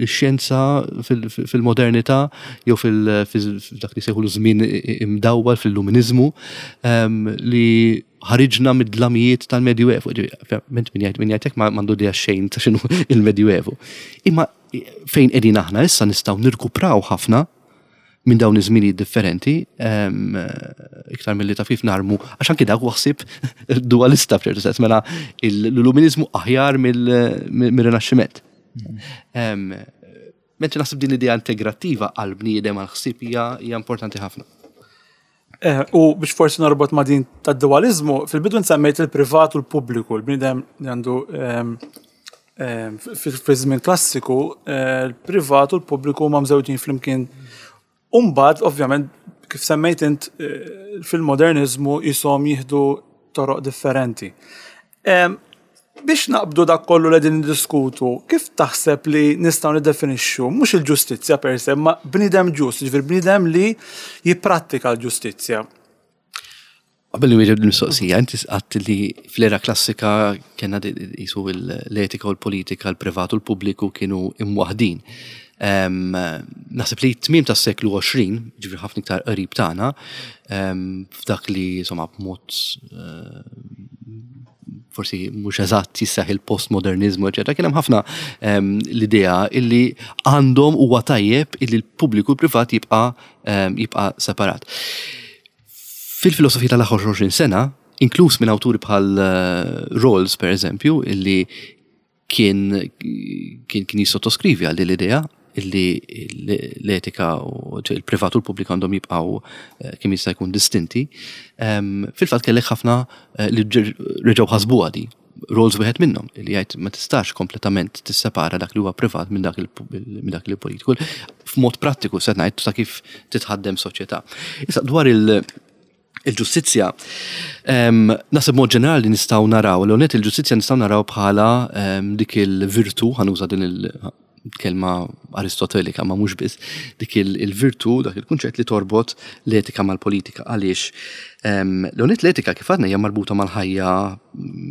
[SPEAKER 2] x-xjenza fil-modernità jew fil-dak li sejħu żmien imdawwal fil-luminiżmu li ħariġna mid-dlamijiet tal-Medjuevu. Ment min jgħid min jgħid hekk m'għandu idea xejn ta' x'inhu il-Medjuevu. Imma fejn qegħdin aħna issa nistgħu nirkupraw ħafna minn dawn iż-żminijiet differenti, iktar milli taf kif narmu, għax anki dak huwa ħsieb dualista f'ċertu sens, mela l-illuminizmu aħjar mill-Rinaxximent. Mentri naħseb din l-idea integrattiva għal bniedem għal ħsieb hija importanti ħafna.
[SPEAKER 1] Eh, u biex forsi norbot ma' din tad-dualizmu, fil-bidu nsemmejt il-privat u l-pubbliku, l-bniedem li għandu fi żmien klassiku, eh, il-privat u l-pubbliku ma mżewġin flimkien. Umbad, ovvjament, kif semmejt int eh, fil-modernizmu jisom jieħdu toroq differenti. Biex naqbdu dak kollu li qegħdin niddiskutu, kif taħseb li nistgħu niddefinixxu mhux il-ġustizzja per se, ma bniedem ġust, jiġifieri bniedem li jipprattika l-ġustizzja?
[SPEAKER 2] Qabel nwieġeb l-mistoqsija, inti għadt li fl-era klassika kellna qisu l-etika u l-politika, l-privat u l-pubbliku kienu imwaħħdin. Naħseb li t-tmiem tas-seklu 20, ġifieri ħafna iktar qrib tagħna, f'dak li insomma b'mod eh, forsi mhux eżatt jissaħ il-postmodernizmu, eċetera, kien hemm ħafna l-idea illi għandhom huwa tajjeb illi l-pubbliku u l-privat jibqa' jibqa' separat. Fil-filosofija tal-aħħar 20 sena, inkluż minn awturi bħal eh, Rawls per eżempju, illi kien kien kien jissottoskrivi għal din l-idea illi l-etika u il-privat u l-pubbliku għandhom jibqgħu eh, kemm jista' jkun distinti. Ehm, fil-fatt kellek ħafna eh, li reġgħu ħasbuha di. Rawls wieħed minnhom li jgħid ma tistax kompletament tissepara dak li huwa privat minn dak minn dak li politiku. F'mod prattiku se ngħid ta' kif titħaddem soċjetà. Issa dwar il- il-ġustizzja, naħseb mod ġenerali nistgħu naraw, l il ġustizzja nistgħu naraw bħala dik il-virtu, ħanuża din il-kelma aristotelika ma mhux biss, dik il-virtu, dak il-kunċett li torbot l-etika mal-politika. Għaliex l l-etika kif għadna hija marbuta mal-ħajja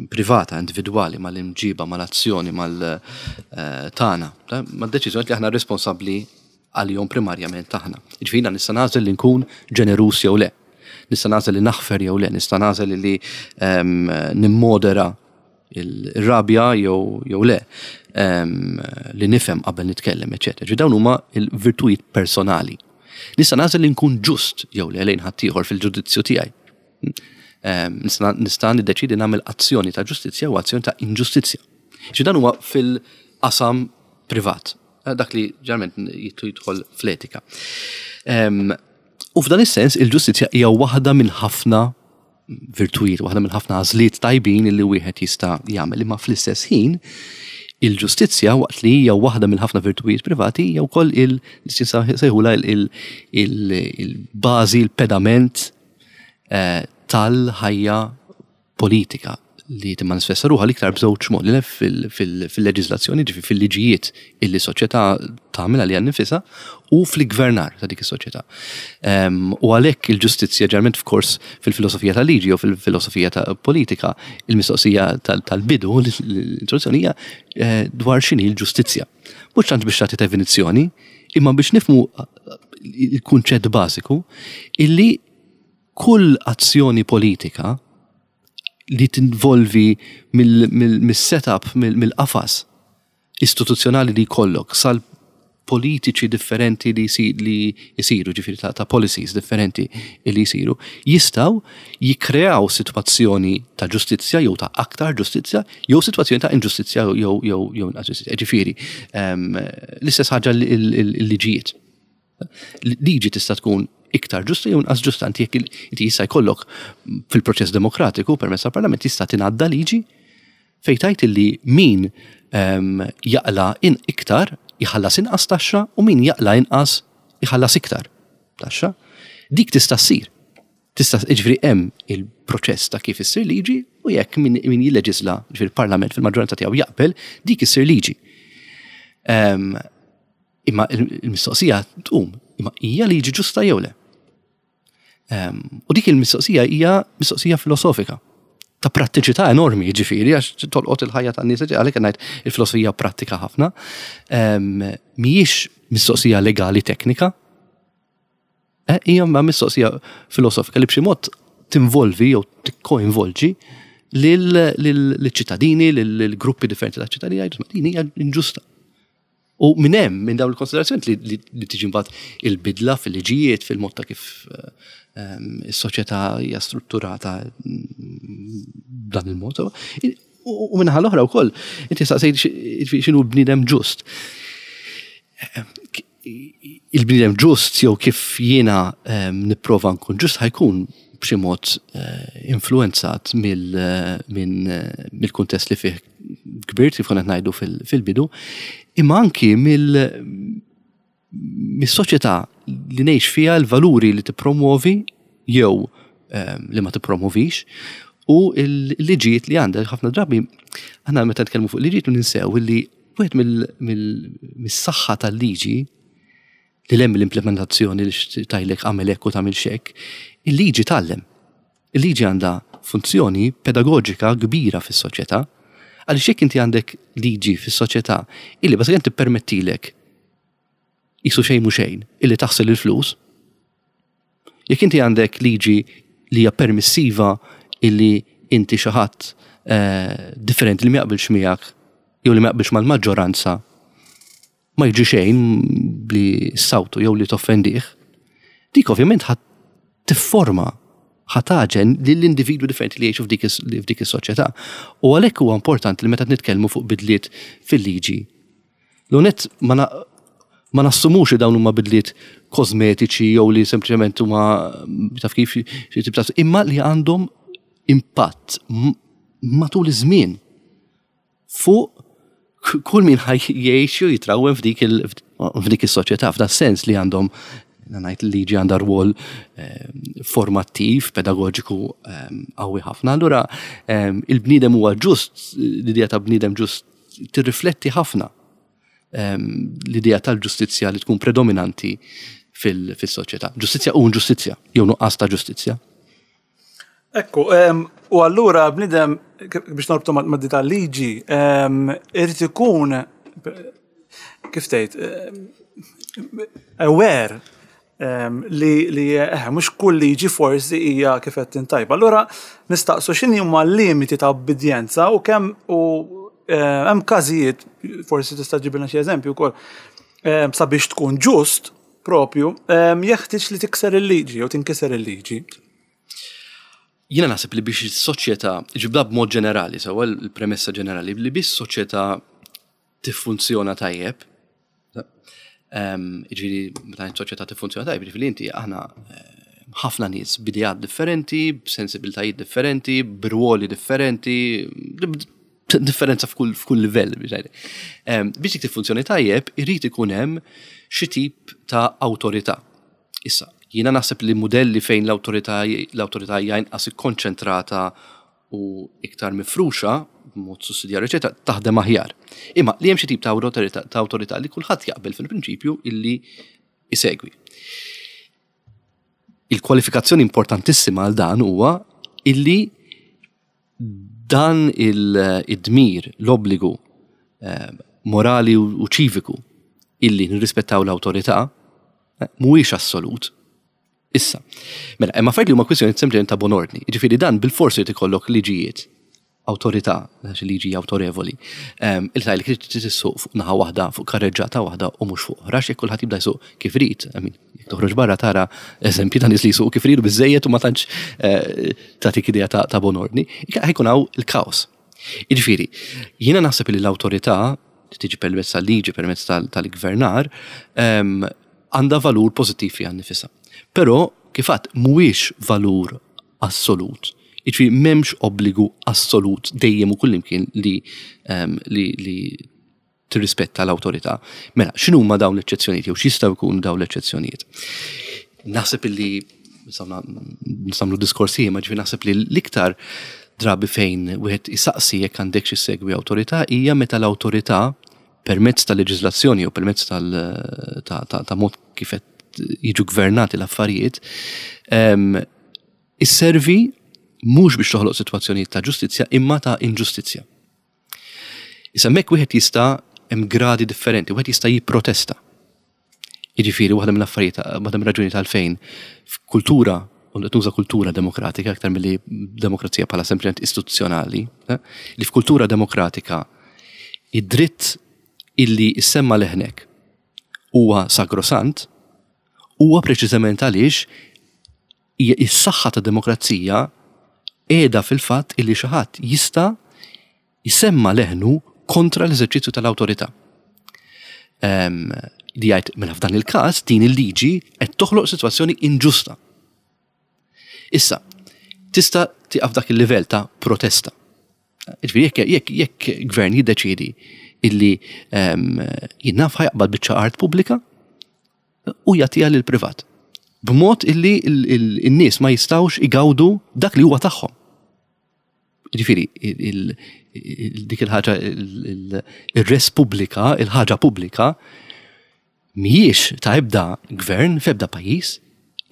[SPEAKER 2] privata, individwali, mal-imġiba, mal-azzjoni, mal-tagħna, eh, mad-deċiżjoni li aħna responsabbli għalihom primarjament aħna. Jiġifieri jiena nista' nagħżel li nkun ġeneruż jew le. Nista' nagħżel li naħfer jew le, nista' nagħżel li ehm, nimmodera il-rabja jew jew le, ehm, li nifhem qabel nitkellem, eċetera. Ġi dawn huma l-virtujiet personali. Nista' nagħżel li nkun ġust jew le lejn ħaddieħor fil-ġudizzju tiegħi. Ehm, nista' niddeċidi nagħmel azzjoni ta' ġustizzja u azzjoni ta' inġustizzja. Ġi dan huwa fil-qasam privat. Eh, dak li ġarment jittu jidħol fl-etika. U f'dan is-sens il-ġustizzja hija waħda minn ħafna virtujiet, waħda minn ħafna għażliet tajbin li wieħed jista' jagħmel. Imma fl-istess ħin il-ġustizzja waqt li hija waħda minn ħafna virtujiet privati hija wkoll il sejħula il-bażi, il-pedament eh, tal-ħajja politika li timmanifesta ruħha l-iktar b'żewġ modi, le fil-leġiżlazzjoni, ġifi fil-liġijiet illi soċjetà tagħmel għaliha nnifisha u fl-iggvernar ta' dik is-soċjetà. Ehm, u għalhekk il-ġustizzja ġerment f'kors fil-filosofija tal-liġi jew fil-filosofija ta' politika, il-mistoqsija tal-bidu, l-introduzzjoni hija eh, dwar x'inhi l-ġustizzja. Mhux tant biex tagħti definizzjoni, imma biex nifhmu il-kunċett bażiku illi Kull azzjoni politika li tinvolvi mis-setup, mill-qafas istituzzjonali li jkollok sal-politiċi differenti li jsiru, ġifieri ta' policies differenti li jsiru, jistgħu jikkreaw sitwazzjoni ta' ġustizzja jew ta' aktar ġustizzja jew sitwazzjoni ta' inġustizzja jew inqas ġustizzja. Ġifieri, ehm, l-istess ħaġa l-liġijiet. Liġi tista' tkun iktar ġusta jew inqas ġusta. Inti jekk inti jista' jkollok fil-proċess demokratiku permezz tal-Parlament jista' tingħadda liġi fejn tgħid illi min ehm, jaqla in iktar jħallas inqas taxxa u min jaqla inqas jħallas iktar taxxa. Dik tista' ssir. Tista' jiġifieri hemm il-proċess ta' kif issir liġi u jekk min, min jilleġisla, jiġifieri il-Parlament fil-maġġoranza tiegħu jaqbel, dik issir liġi. Ehm, Imma il-mistoqsija tqum, imma hija liġi ġusta jew le? Ehm, u dik il-mistoqsija hija mistoqsija filosofika ta' prattiċità enormi, ġifiri, għax tolqot il-ħajja tan nies għalhekk ngħid il-filosofija prattika ħafna. Ehm, mhijiex mistoqsija legali teknika, eh, hija ma mistoqsija filosofika li b'xi mod tinvolvi jew tikkoinvolġi lill-ċittadini, lill-gruppi differenti ta' ċittadini, jgħidu din hija inġusta. U minn hemm, minn dawn il-konsiderazzjoni li tiġi mbagħad il-bidla fil-liġijiet, fil-mod ta' kif ehm, is-soċjetà hija strutturata mm, b'dan il-mod. U minnaħa l-oħra wkoll, inti saqsejt x'inhu bniedem ġust. Il-bniedem ġust jew kif jiena ehm, nipprova nkun ġust ħajkun b'xi mod eh, influenzat mill-kuntest li fih kbirt kif konna ngħidu fil-bidu, imma anki mill-soċjetà li ngħix fiha l-valuri li tippromuovi jew ehm, li ma tippromovix u l-liġijiet li għandek ħafna drabi aħna meta nitkellmu fuq liġijiet ninsew li wieħed mill-saħħa tal-liġi li hemm l-implementazzjoni li tajlek għamel hekk u tagħmel xek, il-liġi tgħallem. Il-liġi għandha funzjoni pedagoġika kbira fis-soċjetà, għaliex jekk inti għandek liġi fis-soċjetà illi bażikament tippermettilek qisu xejn mhu xejn illi taħsel il-flus, jekk inti għandek liġi li hija permissiva illi inti xi ħadd eh, differenti li ma jaqbilx miegħek jew li ma jaqbilx mal-maġġoranza ma jiġri xejn li ssawtu jew li toffendih, dik ovvjament ħa tifforma, ħa tagħġen lill-individwi differenti li jgħixu f'dik is-soċjetà. U għalhekk huwa importanti li meta nitkellmu fuq bidliet fil-liġi, l-għonet ma ma nassumux li dawn huma bidliet kosmetiċi jew li sempliċement huma taf kif imma li għandhom impatt matul iż-żmien. fuq kull min ħaj jgħix u jitrawwem f'dik f'dik is-soċjetà, f'da sens li għandhom ngħid liġi għandha rwol eh, formattiv, pedagogiku eh, qawwi ħafna. Allura eh, il-bniedem huwa ġust, l-idea ta' bniedem ġust tirrifletti ħafna l-idea tal-ġustizzja li tkun predominanti fil-soċjetà. Ġustizzja u inġustizzja, jew nuqqas ta' ġustizzja.
[SPEAKER 1] Ekku, u allura bnidem biex norbtu ma' di tal-liġi, irid ikun kif tgħid aware li li eh, mhux kull liġi forsi hija kif qed tintajba. Allura nistaqsu x'inhi huma l-limiti ta' obbedjenza u kemm u eh, hemm każijiet forsi tista' ġibilna xi eżempju wkoll sabiex tkun ġust propju jeħtieġ li tikser il-liġi jew tinkiser il-liġi.
[SPEAKER 2] Jiena naħseb li biex is-soċjetà, ġibda b'mod ġenerali, sewa l-premessa ġenerali, li biex soċjetà tiffunzjona tajjeb, ġifieri meta soċjetà tiffunzjona tajjeb, ġifieri inti aħna eh, ħafna nies b'ideat differenti, b'sensibiltajiet differenti, b'rwoli differenti, differenza f'kull f'kull livell biex ngħid. Biex dik tiffunzjoni tajjeb, irid ikun hemm xi tip ta' awtorità. Issa, jiena naħseb li mudelli fejn l-awtorità l-awtorità hija inqas ikkonċentrata u iktar mifruxa b'mod sussidjarju eċetera, taħdem aħjar. Imma li hemm xi tip ta' awtorità ta' awtorità li kulħadd jaqbel fil-prinċipju illi isegwi. Il-kwalifikazzjoni importantissima għal dan huwa illi Dan id-dmir, l-obbligu morali u ċiviku illi nirrispettaw l-awtorità mhuwiex assolut. Issa, mela, hemm affarijiet li huma kwistjoni sempliċement ta' bon ordni. Jiġifieri dan bilfors irid ikollok liġijiet, awtorità, għax il-liġi hija awtorevoli, li tgħidlek li trid issuq fuq naħa waħda, fuq karreġġata waħda u mhux fuq oħra, għax jekk kulħadd jibda jsuq kif irid, I mean, Jekk toħroġ barra tara eżempji ta' nies li jsuqu kif iridu biżejjed u ma tantx eh, tagħtik idea ta' bon ordni, ħajkun hawn il-kaos. Jiġifieri, jiena naħseb li l-awtorità li tiġi permezz tal-liġi, permezz tal-gvernar, ehm, għandha valur pożittiv fiha nnifisha. Però kif għadt mhuwiex valur assolut. Jiġifieri m'hemmx obbligu assolut dejjem u kullimkien li, ehm, li, li tirrispetta l-awtorità. Mela, x'inhuma dawn l-eċċezzjonijiet jew x'jistgħu jkunu dawn l-eċċezzjonijiet? Naħseb illi nistgħu diskorsi ma ġifi naħseb li l-iktar drabi fejn wieħed isaqsi jekk għandek xi segwi awtorità hija meta l-awtorità permezz ta' leġiżlazzjoni jew permezz ta' mod kif qed jiġu gvernati l-affarijiet, ehm, isservi mhux biex toħloq sitwazzjonijiet ta' ġustizzja imma ta' inġustizzja. Issa hemmhekk wieħed jista' hemm gradi differenti, wieħed jista' jipprotesta. Jiġifieri waħda mill-affarijiet, waħda mir-raġunijiet għalfejn f'kultura u qed nuża kultura demokratika aktar milli demokrazija bħala sempliċement istituzzjonali, eh, li f'kultura demokratika id-dritt illi issemma leħnek huwa sagrosant huwa preċiżament għaliex Hija s-saħħa tad-demokrazija qiegħda fil-fatt illi xi ħadd jista' jsemma' leħnu kontra l-eżerċizzju tal-awtorità. Ehm, li jgħid mela f'dan il-każ din il-liġi qed toħloq sitwazzjoni inġusta. Issa, tista' tieqaf dak il-livell ta' protesta. Ġifieri jekk jekk jekk gvern jiddeċiedi illi ehm, jien naf ħajqbad biċċa art pubblika, u jagħtiha lill-privat. B'mod illi n-nies ma jistgħux igawdu dak li huwa tagħhom. Ġifieri, dik il-ħaġa ir-res pubblika, il-ħaġa pubblika, mhijiex ta' ebda gvern f'ebda pajjiż,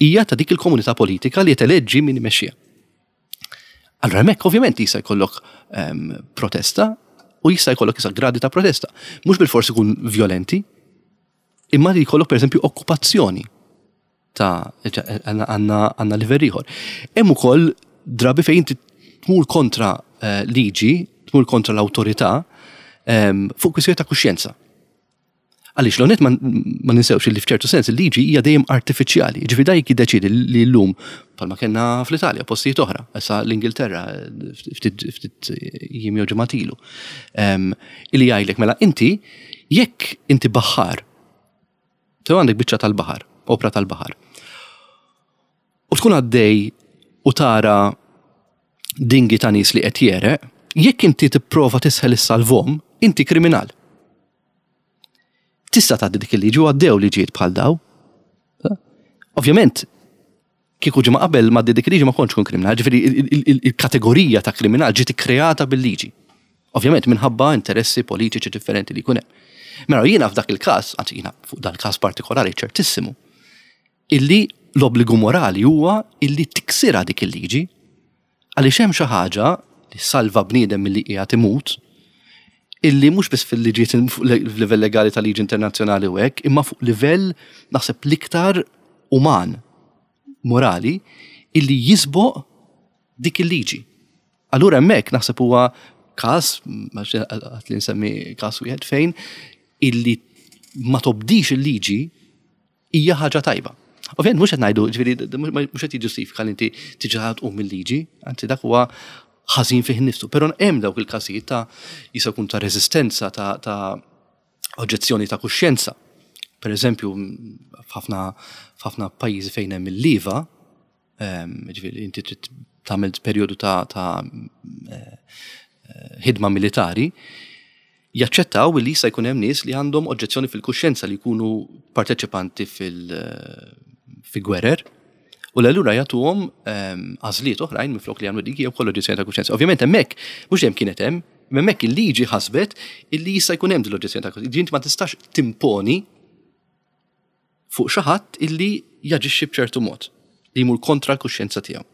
[SPEAKER 2] hija ta' dik il-komunità politika li qed min imexxiha. Allura hemmhekk ovvjament jista' jkollok ehm, protesta u jista' jkollok issa gradi ta' protesta. Mhux bil-forsi ikun violenti, Imma li jkollok pereżempju okkupazzjoni ta' għandna livell ieħor. Hemm ukoll drabi fejn inti tmur kontra eh, liġi, tmur kontra l-awtorità ehm, fuq kwistjoni ta' kuxjenza. Għaliex l-onet ma ninsewx li f'ċertu sens il-liġi hija dejjem artifiċjali. Ġifi da jekk jiddeċiedi li llum bħalma kellna fl-Italja, postijiet oħra, issa l-Ingilterra ftit jiem jew ġimgħat ilu. Ehm, illi jgħidlek mela inti Jekk inti baħħar, tew għandek biċċa tal-baħar, opra tal-baħar, u tkun għaddej u tara dingi ta' nies li qed jereq, Jekk inti tipprova tisħel is-salvom, inti kriminal. Tista' tgħaddi dik il-liġi u għaddew liġijiet bħal daw. Ovvjament, kieku ġimgħa qabel ma dik il-liġi ma kontx kun kriminal, ġifieri il-kategorija ta' kriminal ġiet ikkreata bil-liġi. Ovvjament minħabba interessi politiċi differenti li jkun hemm. Mela jiena f'dak il-każ, anzi jiena fuq dal-każ partikolari ċertissimu, illi l-obbligu morali huwa illi tiksirha dik il-liġi għaliex hemm xi ħaġa li salva bniedem milli qiegħed imut illi mhux biss fil-liġijiet f'livell legali ta' liġi internazzjonali u hekk, imma fuq livell naħseb l-iktar uman, morali, illi jisboq dik il-liġi. Allura hemmhekk naħseb huwa każ, għat li nsemmi każ wieħed fejn illi ma tobdix il-liġi hija ħaġa tajba. Ovvjament mhux qed ngħidu, ġifieri mhux qed jiġġustifika li inti tiġi tqum mill-liġi, anzi dak huwa ħażin fih innifsu, però hemm dawk il-każijiet ta' jista' jkun ta' reżistenza ta' ta' oġġezzjoni ta' kuxjenza. Per eżempju, f'ħafna pajjiżi fejn hemm il-liva, ġifieri inti trid tagħmel perjodu ta' ta' eh, ħidma militari, jaċċettaw li jista' jkun hemm nies li għandhom oġġezzjoni fil-kuxjenza li jkunu parteċipanti fil fi gwerer u l-allura jagħtuhom għażliet oħrajn minflok li jagħmlu dik jew kollu oġġezzjoni ta' kuxjenza. Ovvjament hemmhekk mhux dejjem kienet hemm, imma hemmhekk il-liġi ħasbet illi jista' jkun hemm din l-oġġezzjoni ta' kuxjenza. Inti ma tistax timponi fuq xi ħadd illi jaġixxi b'ċertu mod li jmur kontra l-kuxjenza tiegħu.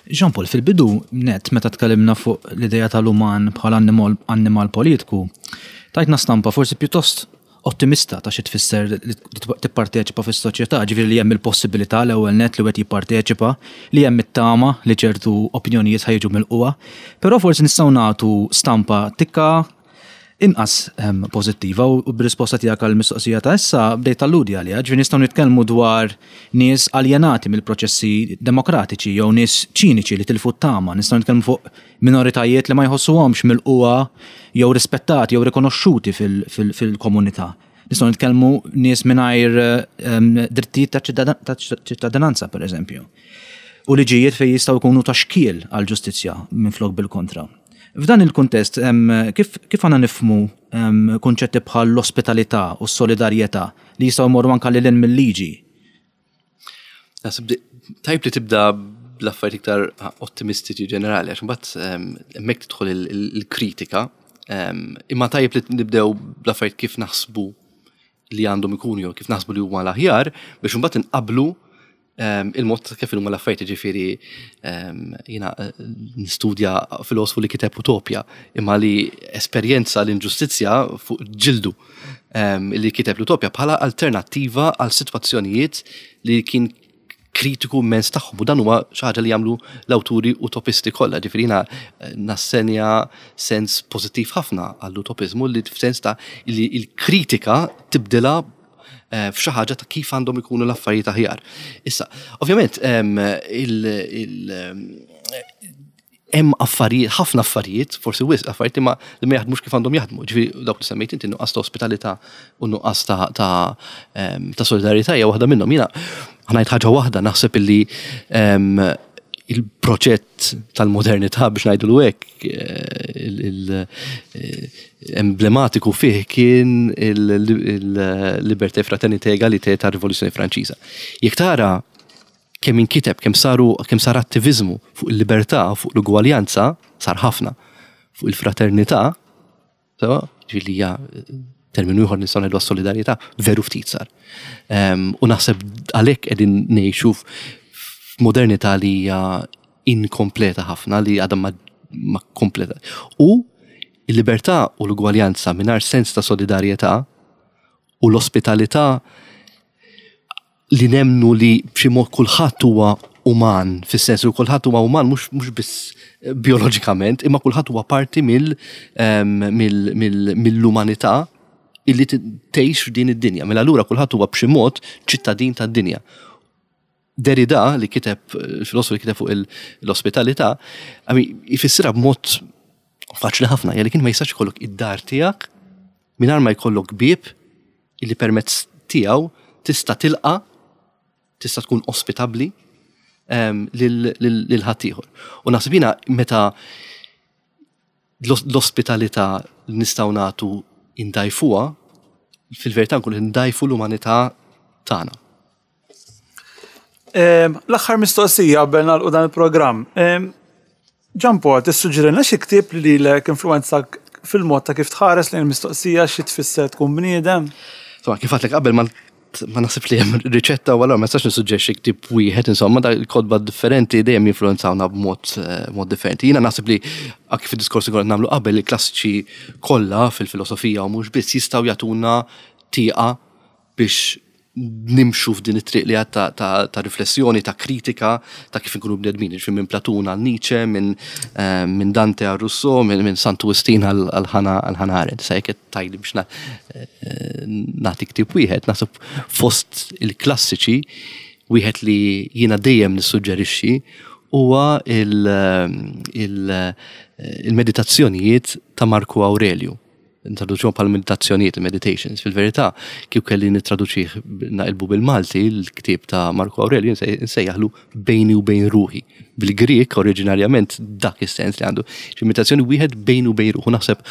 [SPEAKER 3] Jean Paul, fil-bidu net meta tkellimna fuq l-idea tal-uman bħala annimal politiku, tajtna stampa forsi pjuttost ottimista ta' xi tfisser li tipparteċipa fis-soċjetà, ġifieri li hemm il-possibilità l-ewwel net li wieħed jipparteċipa, li hemm it-tama li ċertu opinjonijiet ħa jiġu milqugħa, però forsi nistgħu nagħtu stampa tikka inqas ehm, pożittiva u b'risposta tiegħek għall mistoqsija ta' issa bdejt talludi għaliha, ġifieri nistgħu nitkellmu dwar nies aljenati mill-proċessi demokratiċi jew nies ċiniċi li tilfu t-tama, nistgħu nitkellmu fuq minoritajiet li ma jħossuhomx milqugħa jew rispettati jew rikonoxxuti fil-komunità. Nistgħu nitkellmu nies mingħajr ehm, drittijiet ta' ċittadinanza, pereżempju. U liġijiet fejn jistgħu jkunu ta' xkiel għall-ġustizzja minflok bil-kontra. F'dan il-kuntest, kif kif għandna nifhmu kunċetti bħal l-ospitalità u s-solidarjetà li jistgħu jmorru anke lil hinn mil-liġi?
[SPEAKER 2] Naħseb tajb li tibda bl-affarijiet iktar ottimistiċi ġenerali, għax imbagħad hemmhekk tidħol il-kritika, imma tajjeb li nibdew bl-affarijiet kif naħsbu li għandhom ikunu jew kif naħsbu li huma l-aħjar biex imbagħad inqablu Ehm, il-mod kif huma l-affarijiet ġifieri ehm, jiena eh, nistudja filosofu li kiteb Utopja imma li esperjenza l-inġustizzja fuq ġildu ehm, li kiteb l-Utopja bħala alternattiva għal sitwazzjonijiet li kien kritiku immens tagħhom u dan huwa xi ħaġa li jagħmlu l-awturi utopisti kollha. Ġifieri jiena eh, nassenja sens pożittiv ħafna għall-utopiżmu li f'sens ta' li l-kritika tibdilha Eh, f'xi ħaġa ta' kif għandhom ikunu l-affarijiet aħjar. Issa, ovvjament, hemm affarijiet, ħafna affarijiet, forsi wisq affarijiet imma li ma jaħdmux kif għandhom jaħdmu. Ġifieri dawk li semmejt inti nuqqas ta' ospitalità u nuqqas ta' ta' solidarjetà hija waħda minnhom. Jiena ħanajt ħaġa waħda naħseb illi il-proġett tal-modernità biex ngħidulu hekk eh, eh, emblematiku fih kien il-libertà fraternité egalité tar-Rivoluzzjoni Franċiża. Jekk tara kemm inkiteb, kemm saru kemm sar attiviżmu fuq il-libertà, fuq l-ugwaljanza, sar ħafna. Fuq il-fraternità, Sewa, ġifieri li hija terminu ieħor nistgħu ngħidu għas-solidarjetà, veru ftit sar. Ehm, u naħseb għalhekk qegħdin ngħixu f'modernità li hija inkompleta ħafna li għadha ma, ma kompleta. U il-libertà u l-ugwaljanza mingħajr sens ta' solidarjetà u l-ospitalità li nemmnu li b'xi mod kulħadd huwa uman, fis-sens li kulħadd huwa uman mhux mhux biss bioloġikament, imma kulħadd huwa parti mill ehm, mill-umanità illi tgħix f'din id-dinja. Mela allura kulħadd huwa b'xi mod ċittadin tad-dinja. Derrida li kiteb, il-filosofu li kiteb fuq l-ospitalità, jfissirha b'mod faċli ħafna, jgħalli kien ma jistax ikollok id-dar tiegħek mingħajr ma jkollok bieb illi permezz tiegħu tista' tilqa' tista' tkun ospitabbli ehm, lil ħaddieħor. U naħseb jiena meta l-ospitalità li nistgħu nagħtu indajfuha, fil-verità nkunu ndajfu l-umanità tagħna.
[SPEAKER 1] L-aħħar mistoqsija qabel nagħlqu dan il-programm. Jean Paul, tissuġġerilna xi ktieb li lilek influwenzak fil-mod ta' kif tħares lejn il-mistoqsija xi tfisser tkun bniedem?
[SPEAKER 2] Insomma, kif għedtlek qabel ma ma naħsibx li hemm riċetta u allura ma nistax nissuġġerixxi ktieb wieħed, insomma, da kotba differenti dejjem jinfluwenzawna b'mod eh, mod differenti. Jiena naħseb li anki fid-diskors li konna nagħmlu qabel il-klassiċi kollha fil-filosofija u mhux biss jistgħu jagħtuna tieqa biex nimxu f'din it-triq li għad ta', ta, ta' riflessjoni, ta' kritika, ta' kif inkunu bnedmin, ġifieri minn Platun għal Nietzsche, minn eh, min Dante għal Rousseau, minn min Santu Wistin għal Hannah Arendt. Sa jekk qed tgħidli biex eh, nagħti ktieb wieħed, naħseb fost il-klassiċi wieħed li jiena dejjem nissuġġerixxi huwa il-meditazzjonijiet ta' Marku Aurelju. Ntraduċuhom bħala meditazzjonijiet, meditations. Fil-verità, kieku kelli nittraduċih naqilbu bil-Malti, l-ktieb ta' Marco Aurelio nsejjaħlu bejni u bejn ruħi. Bil-Grieg oriġinarjament dak is-sens li għandu. Xi meditazzjoni wieħed bejnu u bejn ruħu. Naħseb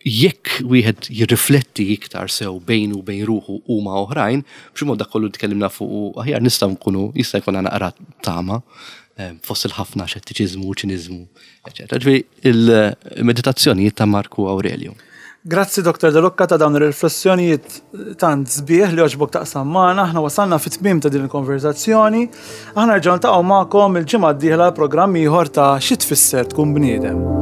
[SPEAKER 2] jekk wieħed jirrifletti iktar sew bejnu u bejn ruħu u ma' oħrajn, b'xi mod dak kollu tkellimna fuq aħjar nistgħu nkunu jista' jkun naqra tama eh, fost il-ħafna xettiċiżmu u ċiniżmu eċetera. Ġifieri il-meditazzjonijiet ta' Marku Aurelio.
[SPEAKER 1] Grazzi Dr. De Lucca ta' dawn ir-riflessjonijiet tant sbieħ li għoġbok taqsam magħna. Aħna wasalna fit-tmiem ta' din il-konverzazzjoni. Aħna nerġgħu niltaqgħu magħkom il-ġimgħa d-dieħla programm ieħor ta' Xi tfisser tkun bniedem.